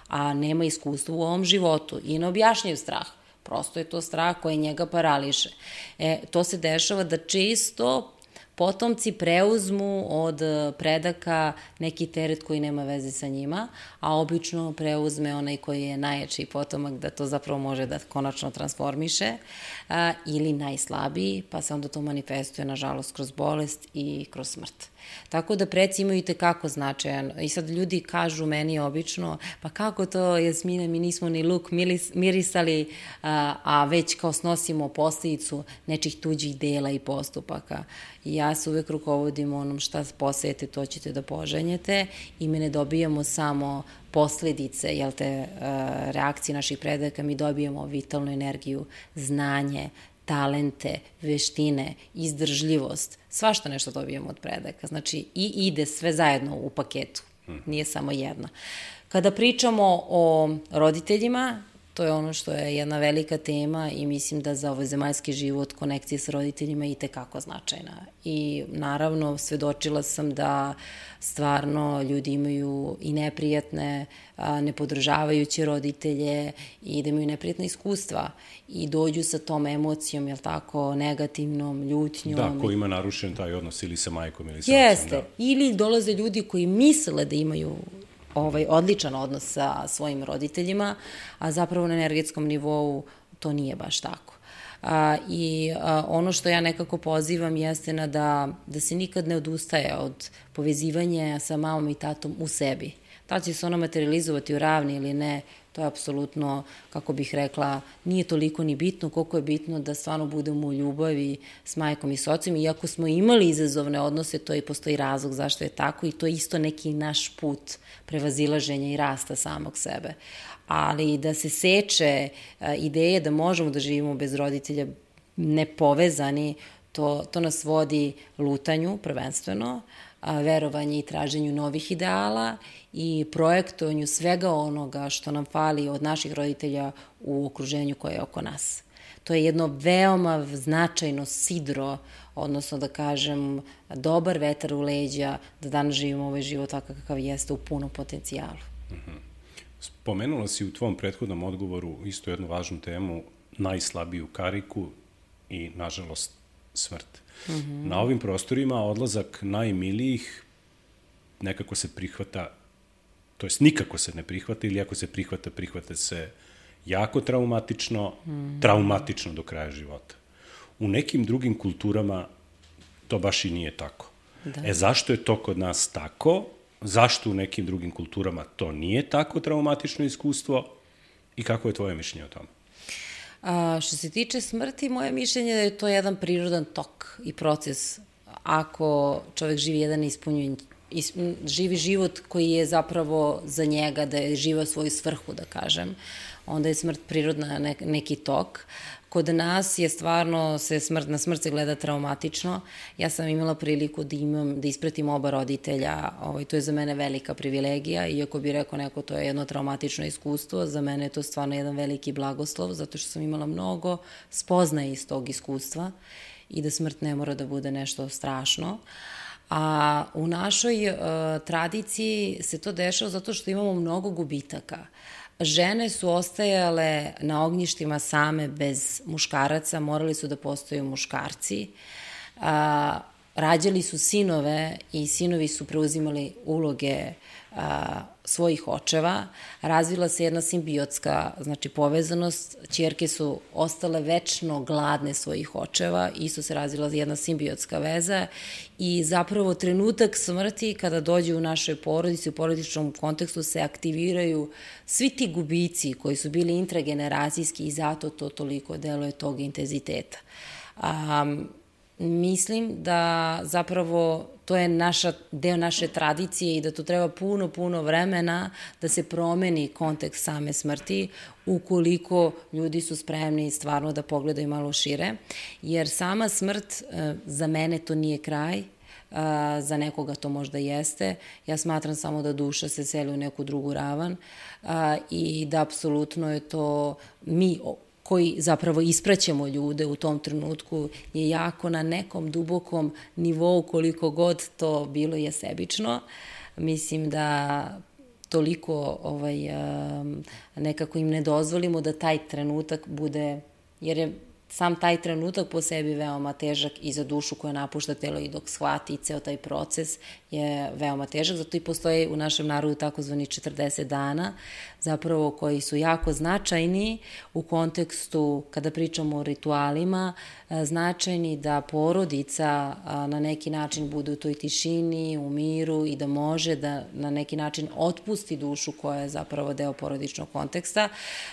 a nema iskustva u ovom životu i ne objašnjaju strah. Prosto je to strah koji njega parališe. E, to se dešava da često potomci preuzmu od predaka neki teret koji nema veze sa njima, a obično preuzme onaj koji je najjači potomak da to zapravo može da konačno transformiše, a, ili najslabiji, pa se onda to manifestuje, nažalost, kroz bolest i kroz smrt. Tako da preci imaju i tekako značajan. I sad ljudi kažu meni obično, pa kako to, Jasmina, mi nismo ni luk mirisali, a, a već kao snosimo posljedicu nečih tuđih dela i postupaka. I ja se uvek rukovodim onom šta posejete, to ćete da požanjete i mi ne dobijamo samo posledice, jel te, reakcije naših predaka, mi dobijamo vitalnu energiju, znanje, talente, veštine, izdržljivost, svašta nešto dobijemo od predaka. Znači, i ide sve zajedno u paketu, nije samo jedno. Kada pričamo o roditeljima, to je ono što je jedna velika tema i mislim da za ovaj zemaljski život konekcija sa roditeljima je i tekako značajna. I naravno svedočila sam da stvarno ljudi imaju i neprijatne, nepodržavajuće roditelje i da imaju neprijatne iskustva i dođu sa tom emocijom, jel tako, negativnom, ljutnjom. Da, ko ima narušen taj odnos ili sa majkom ili sa ocem. Jeste, ili dolaze ljudi koji misle da imaju ovaj odličan odnos sa svojim roditeljima, a zapravo na energetskom nivou to nije baš tako. A, I a, ono što ja nekako pozivam jeste na da, da se nikad ne odustaje od povezivanja sa mamom i tatom u sebi. Da li će se ona materializovati u ravni ili ne, to je apsolutno, kako bih rekla, nije toliko ni bitno koliko je bitno da stvarno budemo u ljubavi s majkom i s ocem. Iako smo imali izazovne odnose, to i postoji razlog zašto je tako i to je isto neki naš put prevazilaženja i rasta samog sebe. Ali da se seče ideje da možemo da živimo bez roditelja nepovezani, to, to nas vodi lutanju prvenstveno, verovanje i traženju novih ideala i projektovanju svega onoga što nam fali od naših roditelja u okruženju koje je oko nas. To je jedno veoma značajno sidro, odnosno da kažem dobar vetar u leđa da danas živimo ovaj život takav kakav jeste u punom potencijalu. Spomenula si u tvom prethodnom odgovoru isto jednu važnu temu, najslabiju kariku i, nažalost, smrt. Mm-hmm. Na ovim prostorima odlazak najmilijih nekako se prihvata, to jest nikako se ne prihvata ili ako se prihvata, prihvata se jako traumatično, mm-hmm. traumatično do kraja života. U nekim drugim kulturama to baš i nije tako. Da. E zašto je to kod nas tako? Zašto u nekim drugim kulturama to nije tako traumatično iskustvo i kako je tvoje mišljenje o tome? A, što se tiče smrti, moje mišljenje je da je to jedan prirodan tok i proces. Ako čovek živi jedan ispunjen, is, živi život koji je zapravo za njega, da je živao svoju svrhu, da kažem, onda je smrt prirodna ne, neki tok. Kod nas je stvarno, se smrt, na smrt se gleda traumatično. Ja sam imala priliku da imam, da ispratim oba roditelja, ovaj, to je za mene velika privilegija, iako bi rekao neko to je jedno traumatično iskustvo, za mene je to stvarno jedan veliki blagoslov, zato što sam imala mnogo spoznaje iz tog iskustva i da smrt ne mora da bude nešto strašno. A u našoj uh, tradiciji se to dešava zato što imamo mnogo gubitaka. Žene su ostajale na ognjištima same bez muškaraca, morali su da postaju muškarci. A, rađali su sinove i sinovi su preuzimali uloge a, svojih očeva. Razvila se jedna simbiotska, znači povezanost. Ćerke su ostale večno gladne svojih očeva, isto se razvila jedna simbiotska veza i zapravo trenutak smrti kada dođe u našoj porodici, u porodičnom kontekstu se aktiviraju svi ti gubici koji su bili intrageneracijski i zato to toliko deluje tog intenziteta. Um, Mislim da zapravo to je naša, deo naše tradicije i da to treba puno, puno vremena da se promeni kontekst same smrti ukoliko ljudi su spremni stvarno da pogledaju malo šire. Jer sama smrt, za mene to nije kraj, za nekoga to možda jeste. Ja smatram samo da duša se seli u neku drugu ravan i da apsolutno je to mi koji zapravo ispraćamo ljude u tom trenutku, je jako na nekom dubokom nivou, koliko god to bilo je sebično. Mislim da toliko ovaj, nekako im ne dozvolimo da taj trenutak bude, jer je sam taj trenutak po sebi veoma težak i za dušu koja napušta telo i dok shvati ceo taj proces je veoma težak. Zato i postoje u našem narodu takozvani četrdeset dana, zapravo koji su jako značajni u kontekstu, kada pričamo o ritualima, značajni da porodica na neki način bude u toj tišini, u miru i da može da na neki način otpusti dušu koja je zapravo deo porodičnog konteksta.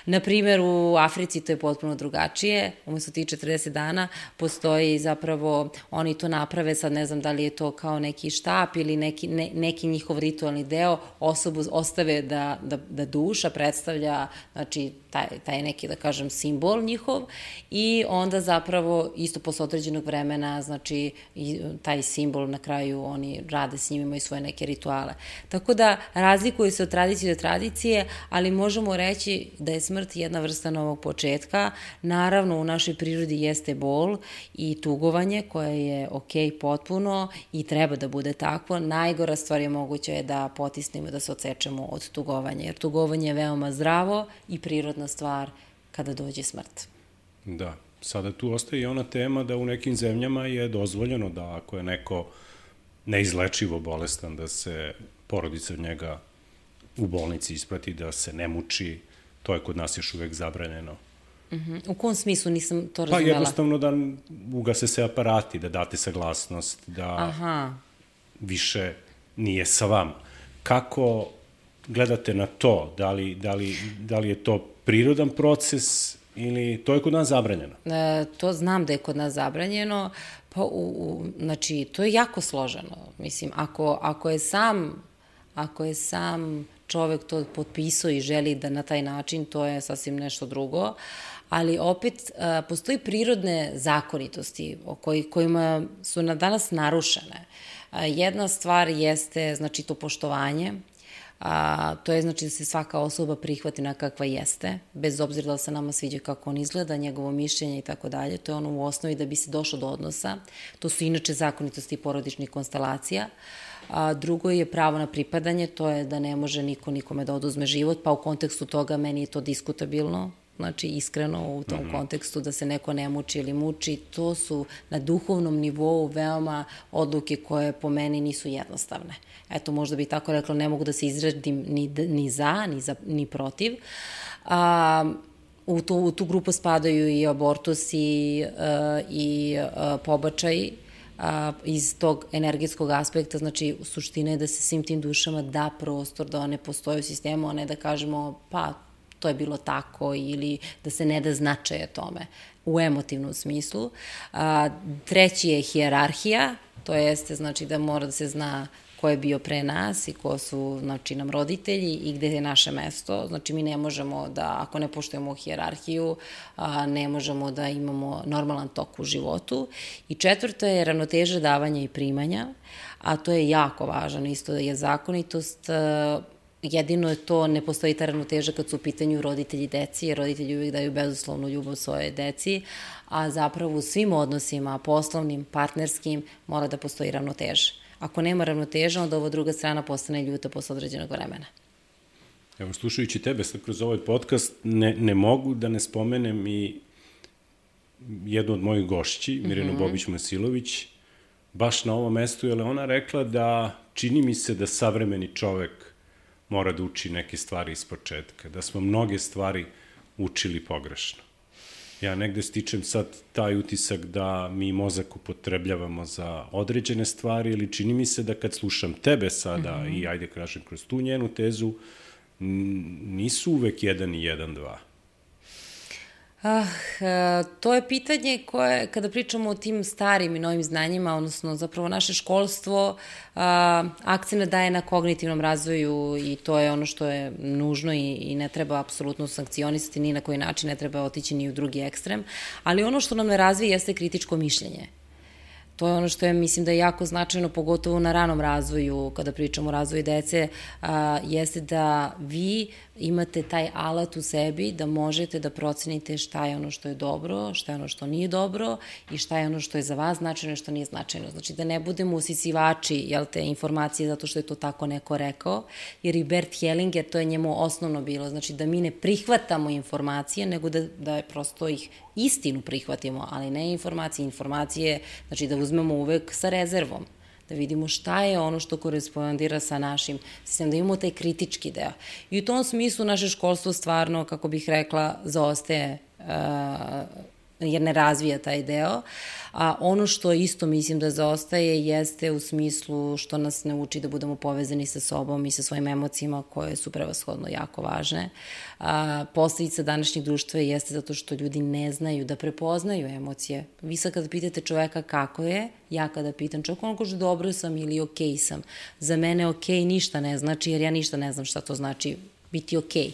Naprimjer, u Africi to je potpuno drugačije. Umesto tih četrdeset dana postoji zapravo, oni to naprave, sad ne znam da li je to kao neki štap ili neki, ne, neki njihov ritualni deo, osobu ostave da, da, da duša predstavlja, znači, taj, taj neki, da kažem, simbol njihov i onda zapravo isto posle određenog vremena, znači, i taj simbol na kraju oni rade s njim, imaju svoje neke rituale. Tako da razlikuje se od tradicije do tradicije, ali možemo reći da je smrt jedna vrsta novog početka. Naravno, u našoj prirodi jeste bol i tugovanje koje je ok potpuno i treba da bude takvo. Najgora stvar je moguće je da potisnemo, da se odsečemo od tugovanja, jer tugovanje je veoma zdravo i prirodna stvar kada dođe smrt. Da, sada tu ostaje i ona tema da u nekim zemljama je dozvoljeno da ako je neko neizlečivo bolestan, da se porodica od njega u bolnici isprati, da se ne muči, to je kod nas još uvek zabranjeno. Uh-huh. U kom smislu nisam to razumela? Pa jednostavno da ugase se aparati, da date saglasnost, da Aha. više nije sa vama. Kako gledate na to? Da li, da li, da li je to prirodan proces ili to je kod nas zabranjeno? E, to znam da je kod nas zabranjeno, pa u, u, znači to je jako složeno. Mislim, ako, ako je sam, ako je sam čovek to potpisao i želi da na taj način, to je sasvim nešto drugo, ali opet a, postoji prirodne zakonitosti o koji, kojima su na danas narušene. A, jedna stvar jeste, znači, to poštovanje, a, to je znači da se svaka osoba prihvati na kakva jeste, bez obzira da li se nama sviđa kako on izgleda, njegovo mišljenje i tako dalje. To je ono u osnovi da bi se došlo do odnosa. To su inače zakonitosti porodičnih konstelacija. A drugo je pravo na pripadanje, to je da ne može niko nikome da oduzme život, pa u kontekstu toga meni je to diskutabilno, znači iskreno u tom mm-hmm. kontekstu da se neko ne muči ili muči. To su na duhovnom nivou veoma odluke koje po meni nisu jednostavne. Eto, možda bi tako rekla, ne mogu da se izradim ni, ni za, ni, za, ni protiv. A, u, tu, u tu grupu spadaju i abortus i, uh, i uh, pobačaj, a, iz tog energetskog aspekta, znači suština je da se svim tim dušama da prostor, da one postoje u sistemu, a ne da kažemo pa to je bilo tako ili da se ne da značaje tome u emotivnom smislu. A, treći je hijerarhija, to jeste znači da mora da se zna ko je bio pre nas i ko su, znači, nam roditelji i gde je naše mesto. Znači, mi ne možemo da, ako ne poštujemo hijerarhiju, a, ne možemo da imamo normalan tok u životu. I četvrto je ravnoteža davanja i primanja, a to je jako važno, isto je zakonitost. A, jedino je to, ne postoji ta ravnoteža kad su u pitanju roditelji deci, jer roditelji uvijek daju bezuslovnu ljubav svoje deci, a zapravo u svim odnosima, poslovnim, partnerskim, mora da postoji ravnoteža. Ako nema ravnoteža, onda ova druga strana postane ljuta posle određenog vremena. Evo, slušajući tebe sad kroz ovaj podcast, ne, ne mogu da ne spomenem i jednu od mojih gošći, Mirjanu mm-hmm. Bobić-Masilović, baš na ovom mestu, jer je ona rekla da čini mi se da savremeni čovek mora da uči neke stvari iz početka, da smo mnoge stvari učili pogrešno. Ja negde stičem sad taj utisak da mi mozak upotrebljavamo za određene stvari, ili čini mi se da kad slušam tebe sada mm-hmm. i ajde kažem kroz tu njenu tezu, nisu uvek jedan i jedan, dva. Ah, to je pitanje koje, kada pričamo o tim starim i novim znanjima, odnosno zapravo naše školstvo, akcent daje na kognitivnom razvoju i to je ono što je nužno i, i ne treba apsolutno sankcionisati ni na koji način, ne treba otići ni u drugi ekstrem, ali ono što nam ne razvije jeste kritičko mišljenje. To je ono što je, mislim da je jako značajno, pogotovo na ranom razvoju, kada pričamo o razvoju dece, a, jeste da vi imate taj alat u sebi da možete da procenite šta je ono što je dobro, šta je ono što nije dobro i šta je ono što je za vas značajno i što nije značajno. Znači da ne budemo usisivači, jel te, informacije zato što je to tako neko rekao, jer i Bert Hellinger, to je njemu osnovno bilo, znači da mi ne prihvatamo informacije, nego da, da je prosto ih istinu prihvatimo, ali ne informacije. Informacije, znači da uzmemo uvek sa rezervom, da vidimo šta je ono što korespondira sa našim sistemom, da imamo taj kritički deo. I u tom smislu naše školstvo stvarno, kako bih rekla, zaostaje, uh, jer ne razvija taj deo. A ono što isto mislim da zaostaje jeste u smislu što nas ne uči da budemo povezani sa sobom i sa svojim emocijama koje su prevashodno jako važne. A, posledica današnjeg društva jeste zato što ljudi ne znaju da prepoznaju emocije. Vi sad kada pitate čoveka kako je, ja kada pitam čovjek, on kaže dobro sam ili okej sam. Za mene okej ništa ne znači, jer ja ništa ne znam šta to znači biti okej.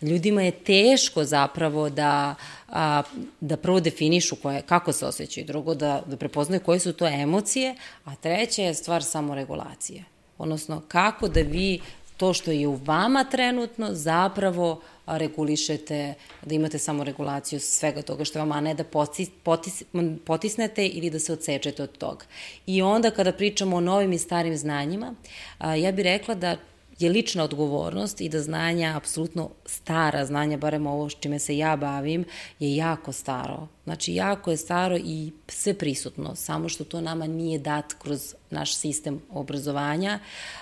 Ljudima je teško zapravo da, a, da prvo definišu koje, kako se osjećaju, drugo da, da prepoznaju koje su to emocije, a treća je stvar samoregulacije. Odnosno, kako da vi to što je u vama trenutno zapravo regulišete, da imate samoregulaciju svega toga što je vama, a ne da potis, potis, potisnete ili da se odsečete od toga. I onda kada pričamo o novim i starim znanjima, a, ja bih rekla da je lična odgovornost i da znanja, apsolutno stara znanja, barem ovo s čime se ja bavim, je jako staro. Znači, jako je staro i sve prisutno, samo što to nama nije dat kroz naš sistem obrazovanja,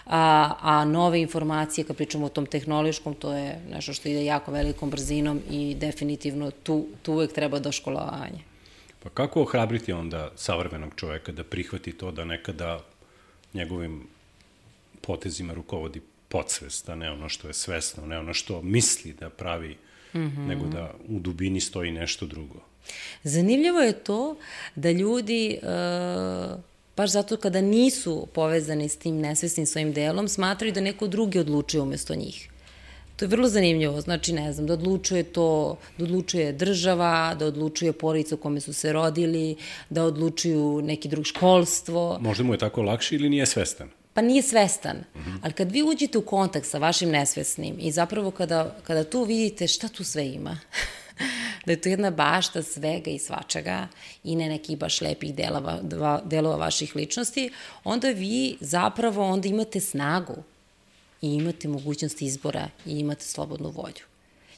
a, a nove informacije, kad pričamo o tom tehnološkom, to je nešto što ide jako velikom brzinom i definitivno tu, tu uvek treba doškolovanje. Pa kako ohrabriti onda savremenog čoveka da prihvati to da nekada njegovim potezima rukovodi podsvest, a ne ono što je svesno, ne ono što misli da pravi, mm-hmm. nego da u dubini stoji nešto drugo. Zanimljivo je to da ljudi, uh, baš zato kada nisu povezani s tim nesvesnim svojim delom, smatraju da neko drugi odlučuje umesto njih. To je vrlo zanimljivo, znači ne znam, da odlučuje to, da odlučuje država, da odlučuje porodica u kome su se rodili, da odlučuju neki drug školstvo. Možda mu je tako lakše ili nije svestan? Pa nije svestan, mm-hmm. ali kad vi uđete u kontakt sa vašim nesvesnim i zapravo kada, kada tu vidite šta tu sve ima, da je to jedna bašta svega i svačega i ne nekih baš lepih delova, delova vaših ličnosti, onda vi zapravo onda imate snagu i imate mogućnost izbora i imate slobodnu volju.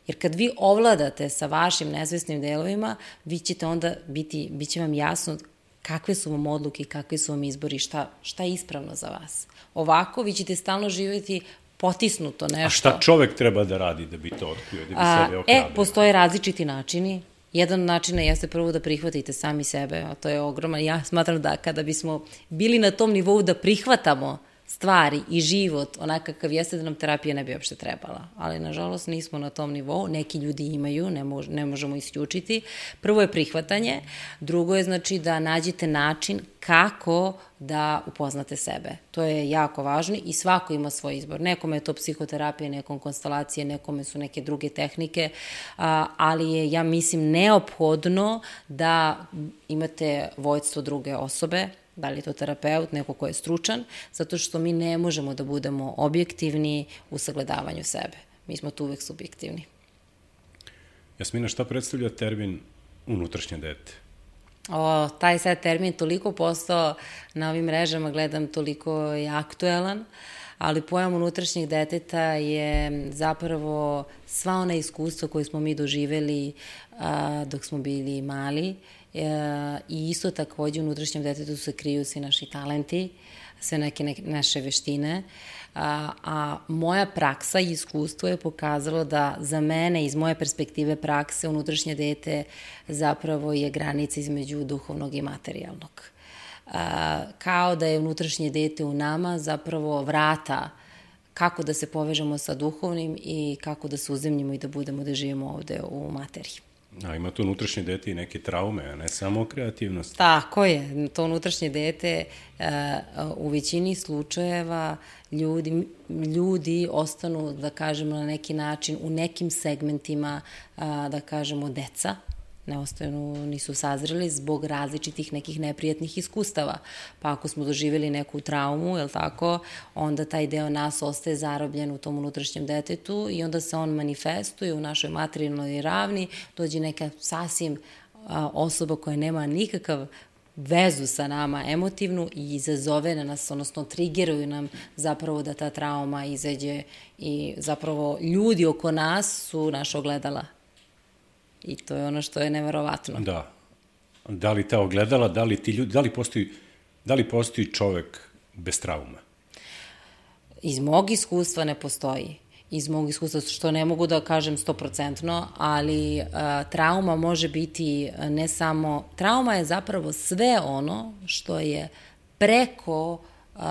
Jer kad vi ovladate sa vašim nesvesnim delovima, vi ćete onda biti, bit će vam jasno kakve su vam odluke, kakvi su vam izbori, šta, šta je ispravno za vas. Ovako vi ćete stalno živjeti potisnuto nešto. A šta čovek treba da radi da bi to otkrio, da bi A, sebe ohrabrio? E, postoje različiti načini. Jedan od načina jeste prvo da prihvatite sami sebe, a to je ogroman. Ja smatram da kada bismo bili na tom nivou da prihvatamo stvari i život onakav kakav jeste, da nam terapija ne bi uopšte trebala. Ali, nažalost, nismo na tom nivou. Neki ljudi imaju, ne, mož, ne možemo isključiti. Prvo je prihvatanje, drugo je znači da nađete način kako da upoznate sebe. To je jako važno i svako ima svoj izbor. Nekome je to psihoterapija, nekom konstelacije, nekome su neke druge tehnike, ali je, ja mislim, neophodno da imate vođstvo druge osobe, da li je to terapeut, neko ko je stručan, zato što mi ne možemo da budemo objektivni u sagledavanju sebe. Mi smo tu uvek subjektivni. Jasmina, šta predstavlja termin unutrašnje dete? O, taj sad termin toliko postao na ovim mrežama, gledam, toliko je aktuelan, ali pojam unutrašnjeg deteta je zapravo sva ona iskustva koje smo mi doživeli a, dok smo bili mali, E, i isto takođe u unutrašnjem detetu se kriju svi naši talenti, sve neke, neke naše veštine, a, a moja praksa i iskustvo je pokazalo da za mene, iz moje perspektive prakse, unutrašnje dete zapravo je granica između duhovnog i materijalnog. A, kao da je unutrašnje dete u nama zapravo vrata kako da se povežemo sa duhovnim i kako da se uzemljimo i da budemo da živimo ovde u materiji. A ima to unutrašnje dete i neke traume, a ne samo kreativnost. Tako je, to unutrašnje dete u većini slučajeva ljudi, ljudi ostanu, da kažemo na neki način, u nekim segmentima, da kažemo deca, ne ostanu, nisu sazreli zbog različitih nekih neprijatnih iskustava. Pa ako smo doživjeli neku traumu, jel tako, onda taj deo nas ostaje zarobljen u tom unutrašnjem detetu i onda se on manifestuje u našoj materijalnoj ravni, dođe neka sasvim a, osoba koja nema nikakav vezu sa nama emotivnu i izazove na nas, odnosno trigeruju nam zapravo da ta trauma izađe i zapravo ljudi oko nas su naša ogledala. I to je ono što je neverovatno. Da. Da li ta ogledala, da li ti ljudi, da li postoji, da li postoji čovek bez trauma? Iz mog iskustva ne postoji. Iz mog iskustva, što ne mogu da kažem stoprocentno, ali a, trauma može biti ne samo... Trauma je zapravo sve ono što je preko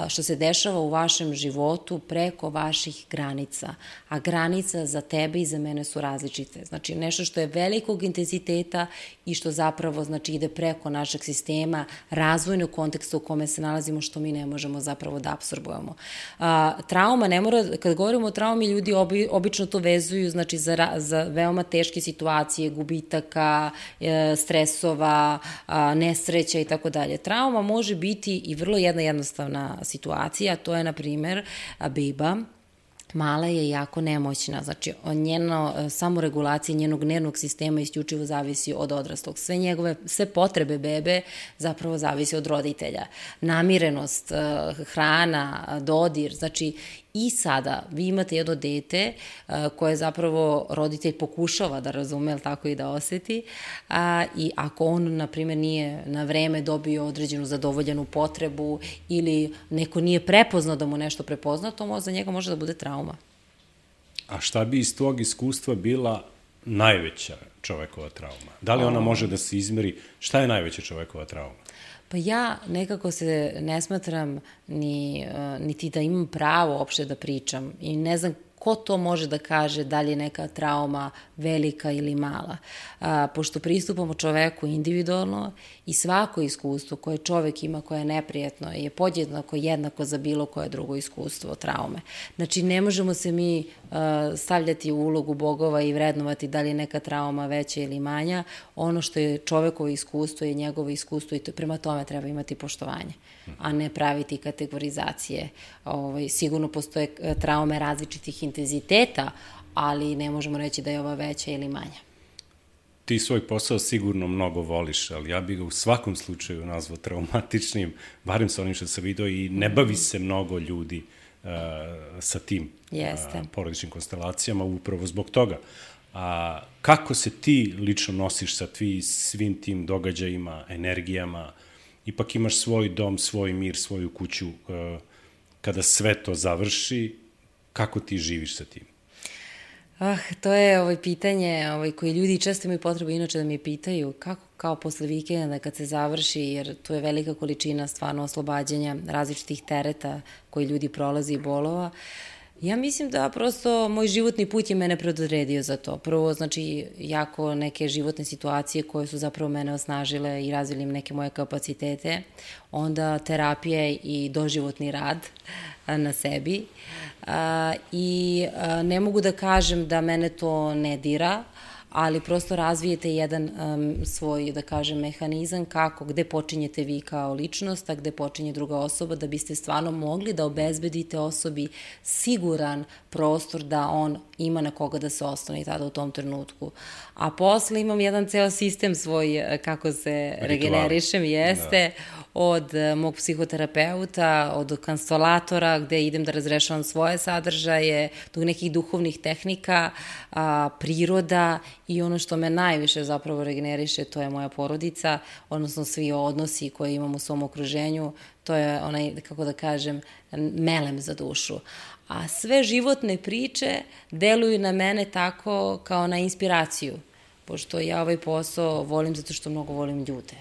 što se dešava u vašem životu preko vaših granica. A granica za tebe i za mene su različite. Znači, nešto što je velikog intenziteta i što zapravo znači, ide preko našeg sistema, razvojnog konteksta u kome se nalazimo, što mi ne možemo zapravo da apsorbujemo. A, trauma ne mora, kad govorimo o traumi, ljudi obi, obično to vezuju znači, za, za veoma teške situacije, gubitaka, e, stresova, a, nesreća i tako dalje. Trauma može biti i vrlo jedna jednostavna situacija, to je, na primer, beba, mala je jako nemoćna, znači njeno samoregulacija njenog nervnog sistema isključivo zavisi od odraslog. Sve njegove, sve potrebe bebe zapravo zavisi od roditelja. Namirenost, hrana, dodir, znači i sada vi imate jedno dete koje zapravo roditelj pokušava da razume, ali tako i da oseti, a, i ako on, na primjer, nije na vreme dobio određenu zadovoljenu potrebu ili neko nije prepoznao da mu nešto prepozna, to za njega može da bude trauma. A šta bi iz tvog iskustva bila najveća čovekova trauma? Da li ona može da se izmeri? Šta je najveća čovekova trauma? Pa ja nekako se ne smatram ni, niti da imam pravo uopšte da pričam i ne znam ko to može da kaže da li je neka trauma velika ili mala. A, pošto pristupamo čoveku individualno i svako iskustvo koje čovek ima koje je neprijetno je podjednako jednako za bilo koje drugo iskustvo traume. Znači ne možemo se mi a, stavljati u ulogu bogova i vrednovati da li je neka trauma veća ili manja. Ono što je čovekovo iskustvo je njegovo iskustvo i to, prema tome treba imati poštovanje, a ne praviti kategorizacije. Ovaj, sigurno postoje traume različitih intenziteta, ali ne možemo reći da je ova veća ili manja. Ti svoj posao sigurno mnogo voliš, ali ja bih ga u svakom slučaju nazvao traumatičnim, barem sa onim što sam vidio, i ne bavi se mnogo ljudi uh, sa tim uh, porodičnim konstelacijama upravo zbog toga. A kako se ti lično nosiš sa tvi, svim tim događajima, energijama? Ipak imaš svoj dom, svoj mir, svoju kuću. Uh, kada sve to završi, kako ti živiš sa tim? Ah, to je ovaj pitanje ovaj, koji ljudi često imaju potrebu inače da mi pitaju kako kao posle vikenda kad se završi, jer tu je velika količina stvarno oslobađanja različitih tereta koji ljudi prolazi i bolova. Ja mislim da prosto moj životni put je mene predodredio za to. Prvo, znači, jako neke životne situacije koje su zapravo mene osnažile i razvili neke moje kapacitete. Onda terapija i doživotni rad na sebi. A, I a, ne mogu da kažem da mene to ne dira, ali prosto razvijete jedan um, svoj, da kažem, mehanizam kako, gde počinjete vi kao ličnost, a gde počinje druga osoba, da biste stvarno mogli da obezbedite osobi siguran prostor da on ima na koga da se ostane tada u tom trenutku. A posle imam jedan ceo sistem svoj, kako se regenerišem, jeste, da. Od mog psihoterapeuta, od konstelatora, gde idem da razrešavam svoje sadržaje, do nekih duhovnih tehnika, a, priroda i ono što me najviše zapravo regeneriše, to je moja porodica, odnosno svi odnosi koje imam u svom okruženju, to je onaj, kako da kažem, melem za dušu. A sve životne priče deluju na mene tako kao na inspiraciju, pošto ja ovaj posao volim zato što mnogo volim ljude.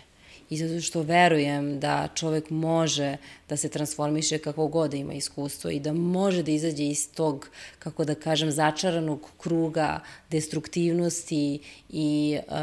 I zato što verujem da čovek može da se transformiše kako god da ima iskustvo i da može da izađe iz tog, kako da kažem, začaranog kruga destruktivnosti i uh,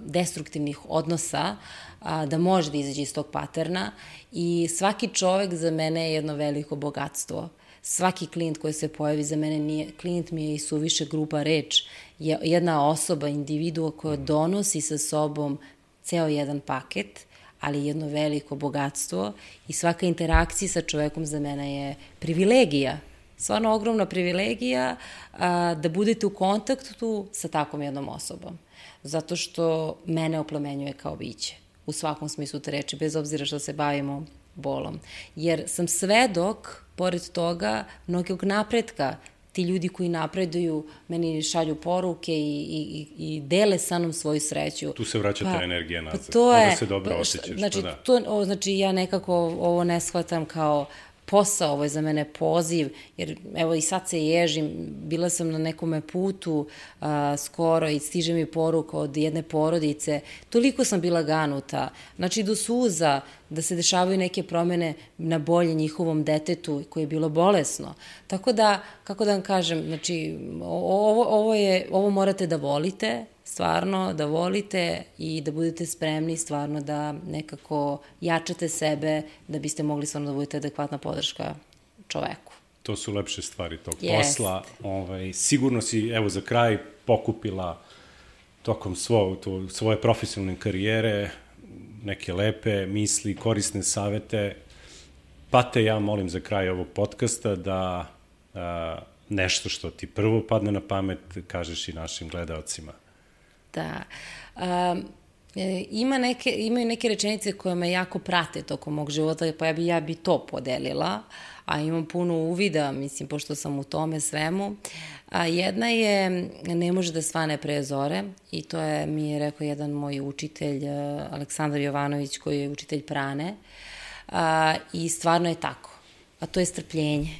destruktivnih odnosa, a, da može da izađe iz tog paterna. I svaki čovek za mene je jedno veliko bogatstvo. Svaki klijent koji se pojavi za mene nije, klijent mi je i suviše grupa reč, je jedna osoba, individua koja donosi sa sobom ceo jedan paket, ali jedno veliko bogatstvo i svaka interakcija sa čovekom za mene je privilegija, stvarno ogromna privilegija a, da budete u kontaktu sa takvom jednom osobom, zato što mene oplemenjuje kao biće, u svakom smislu te reči, bez obzira što se bavimo bolom. Jer sam svedok, pored toga, mnogog napretka. Ti ljudi koji napreduju, meni šalju poruke i, i, i dele sa mnom svoju sreću. Tu se vraća ta pa, energija nazad. Pa to je, onda se dobro osjećaš. Znači, pa da. to, o, znači, ja nekako ovo ne shvatam kao posao, ovo je za mene poziv, jer evo i sad se ježim, bila sam na nekome putu a, skoro i stiže mi poruka od jedne porodice, toliko sam bila ganuta, znači do suza, da se dešavaju neke promene na bolje njihovom detetu koje je bilo bolesno. Tako da, kako da vam kažem, znači, ovo, ovo, je, ovo morate da volite, stvarno da volite i da budete spremni stvarno da nekako jačate sebe da biste mogli stvarno da budete adekvatna podrška čoveku. To su lepše stvari tog Jest. posla. Ovaj, sigurno si, evo, za kraj pokupila tokom svo, to, svoje profesionalne karijere neke lepe misli, korisne savete, pa te ja molim za kraj ovog podcasta da a, nešto što ti prvo padne na pamet kažeš i našim gledaocima. Da. Um, ima neke, imaju neke rečenice koje me jako prate tokom mog života, pa ja bi, ja bi to podelila, a imam puno uvida, mislim, pošto sam u tome svemu. A jedna je, ne može da svane pre zore, i to je, mi je rekao jedan moj učitelj, Aleksandar Jovanović, koji je učitelj prane, a, i stvarno je tako. A to je strpljenje.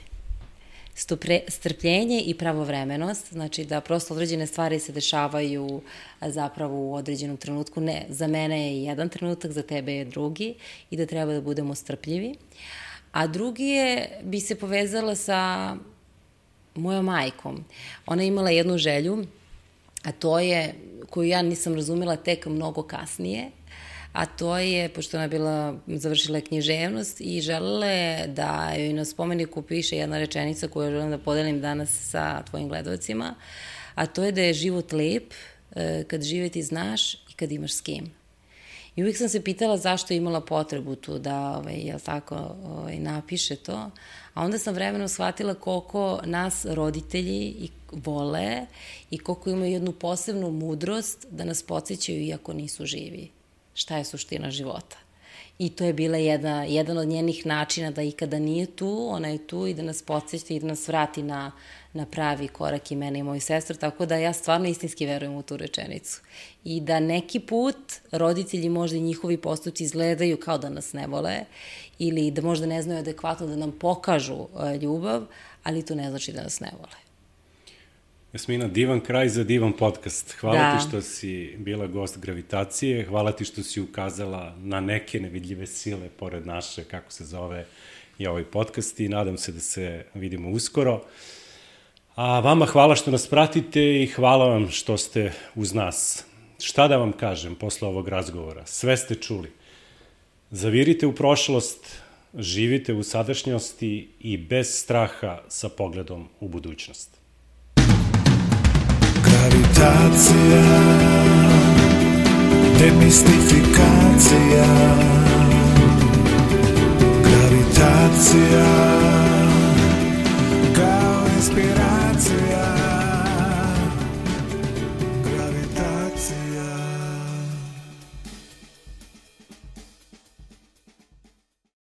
stupre, strpljenje i pravovremenost, znači da prosto određene stvari se dešavaju zapravo u određenom trenutku. Ne, za mene je jedan trenutak, za tebe je drugi i da treba da budemo strpljivi. A drugi je, bi se povezala sa mojom majkom. Ona je imala jednu želju, a to je, koju ja nisam razumela tek mnogo kasnije, a to je, pošto ona je bila, završila književnost i želela je da joj na spomeniku piše jedna rečenica koju želim da podelim danas sa tvojim gledalcima, a to je da je život lep kad živeti znaš i kad imaš s kim. I uvijek sam se pitala zašto je imala potrebu tu da, ovaj, jel tako, ovaj, napiše to, a onda sam vremenom shvatila koliko nas roditelji i vole i koliko imaju jednu posebnu mudrost da nas podsjećaju iako nisu živi. Šta je suština života. I to je bila jedna, jedan od njenih načina da i kada nije tu, ona je tu i da nas podsjeća i da nas vrati na, na pravi korak i mene i moju sestru, tako da ja stvarno istinski verujem u tu rečenicu. I da neki put roditelji možda i njihovi postupci izgledaju kao da nas ne vole ili da možda ne znaju adekvatno da nam pokažu ljubav, ali to ne znači da nas ne vole. Jasmina, divan kraj za divan podcast. Hvala da. ti što si bila gost Gravitacije, hvala ti što si ukazala na neke nevidljive sile pored naše, kako se zove i ovaj podcast, i nadam se da se vidimo uskoro. A vama hvala što nas pratite i hvala vam što ste uz nas. Šta da vam kažem posle ovog razgovora? Sve ste čuli. Zavirite u prošlost, živite u sadašnjosti i bez straha sa pogledom u budućnost. Gravitacija, demistifikacija. Gravitacija, kao inspiracija.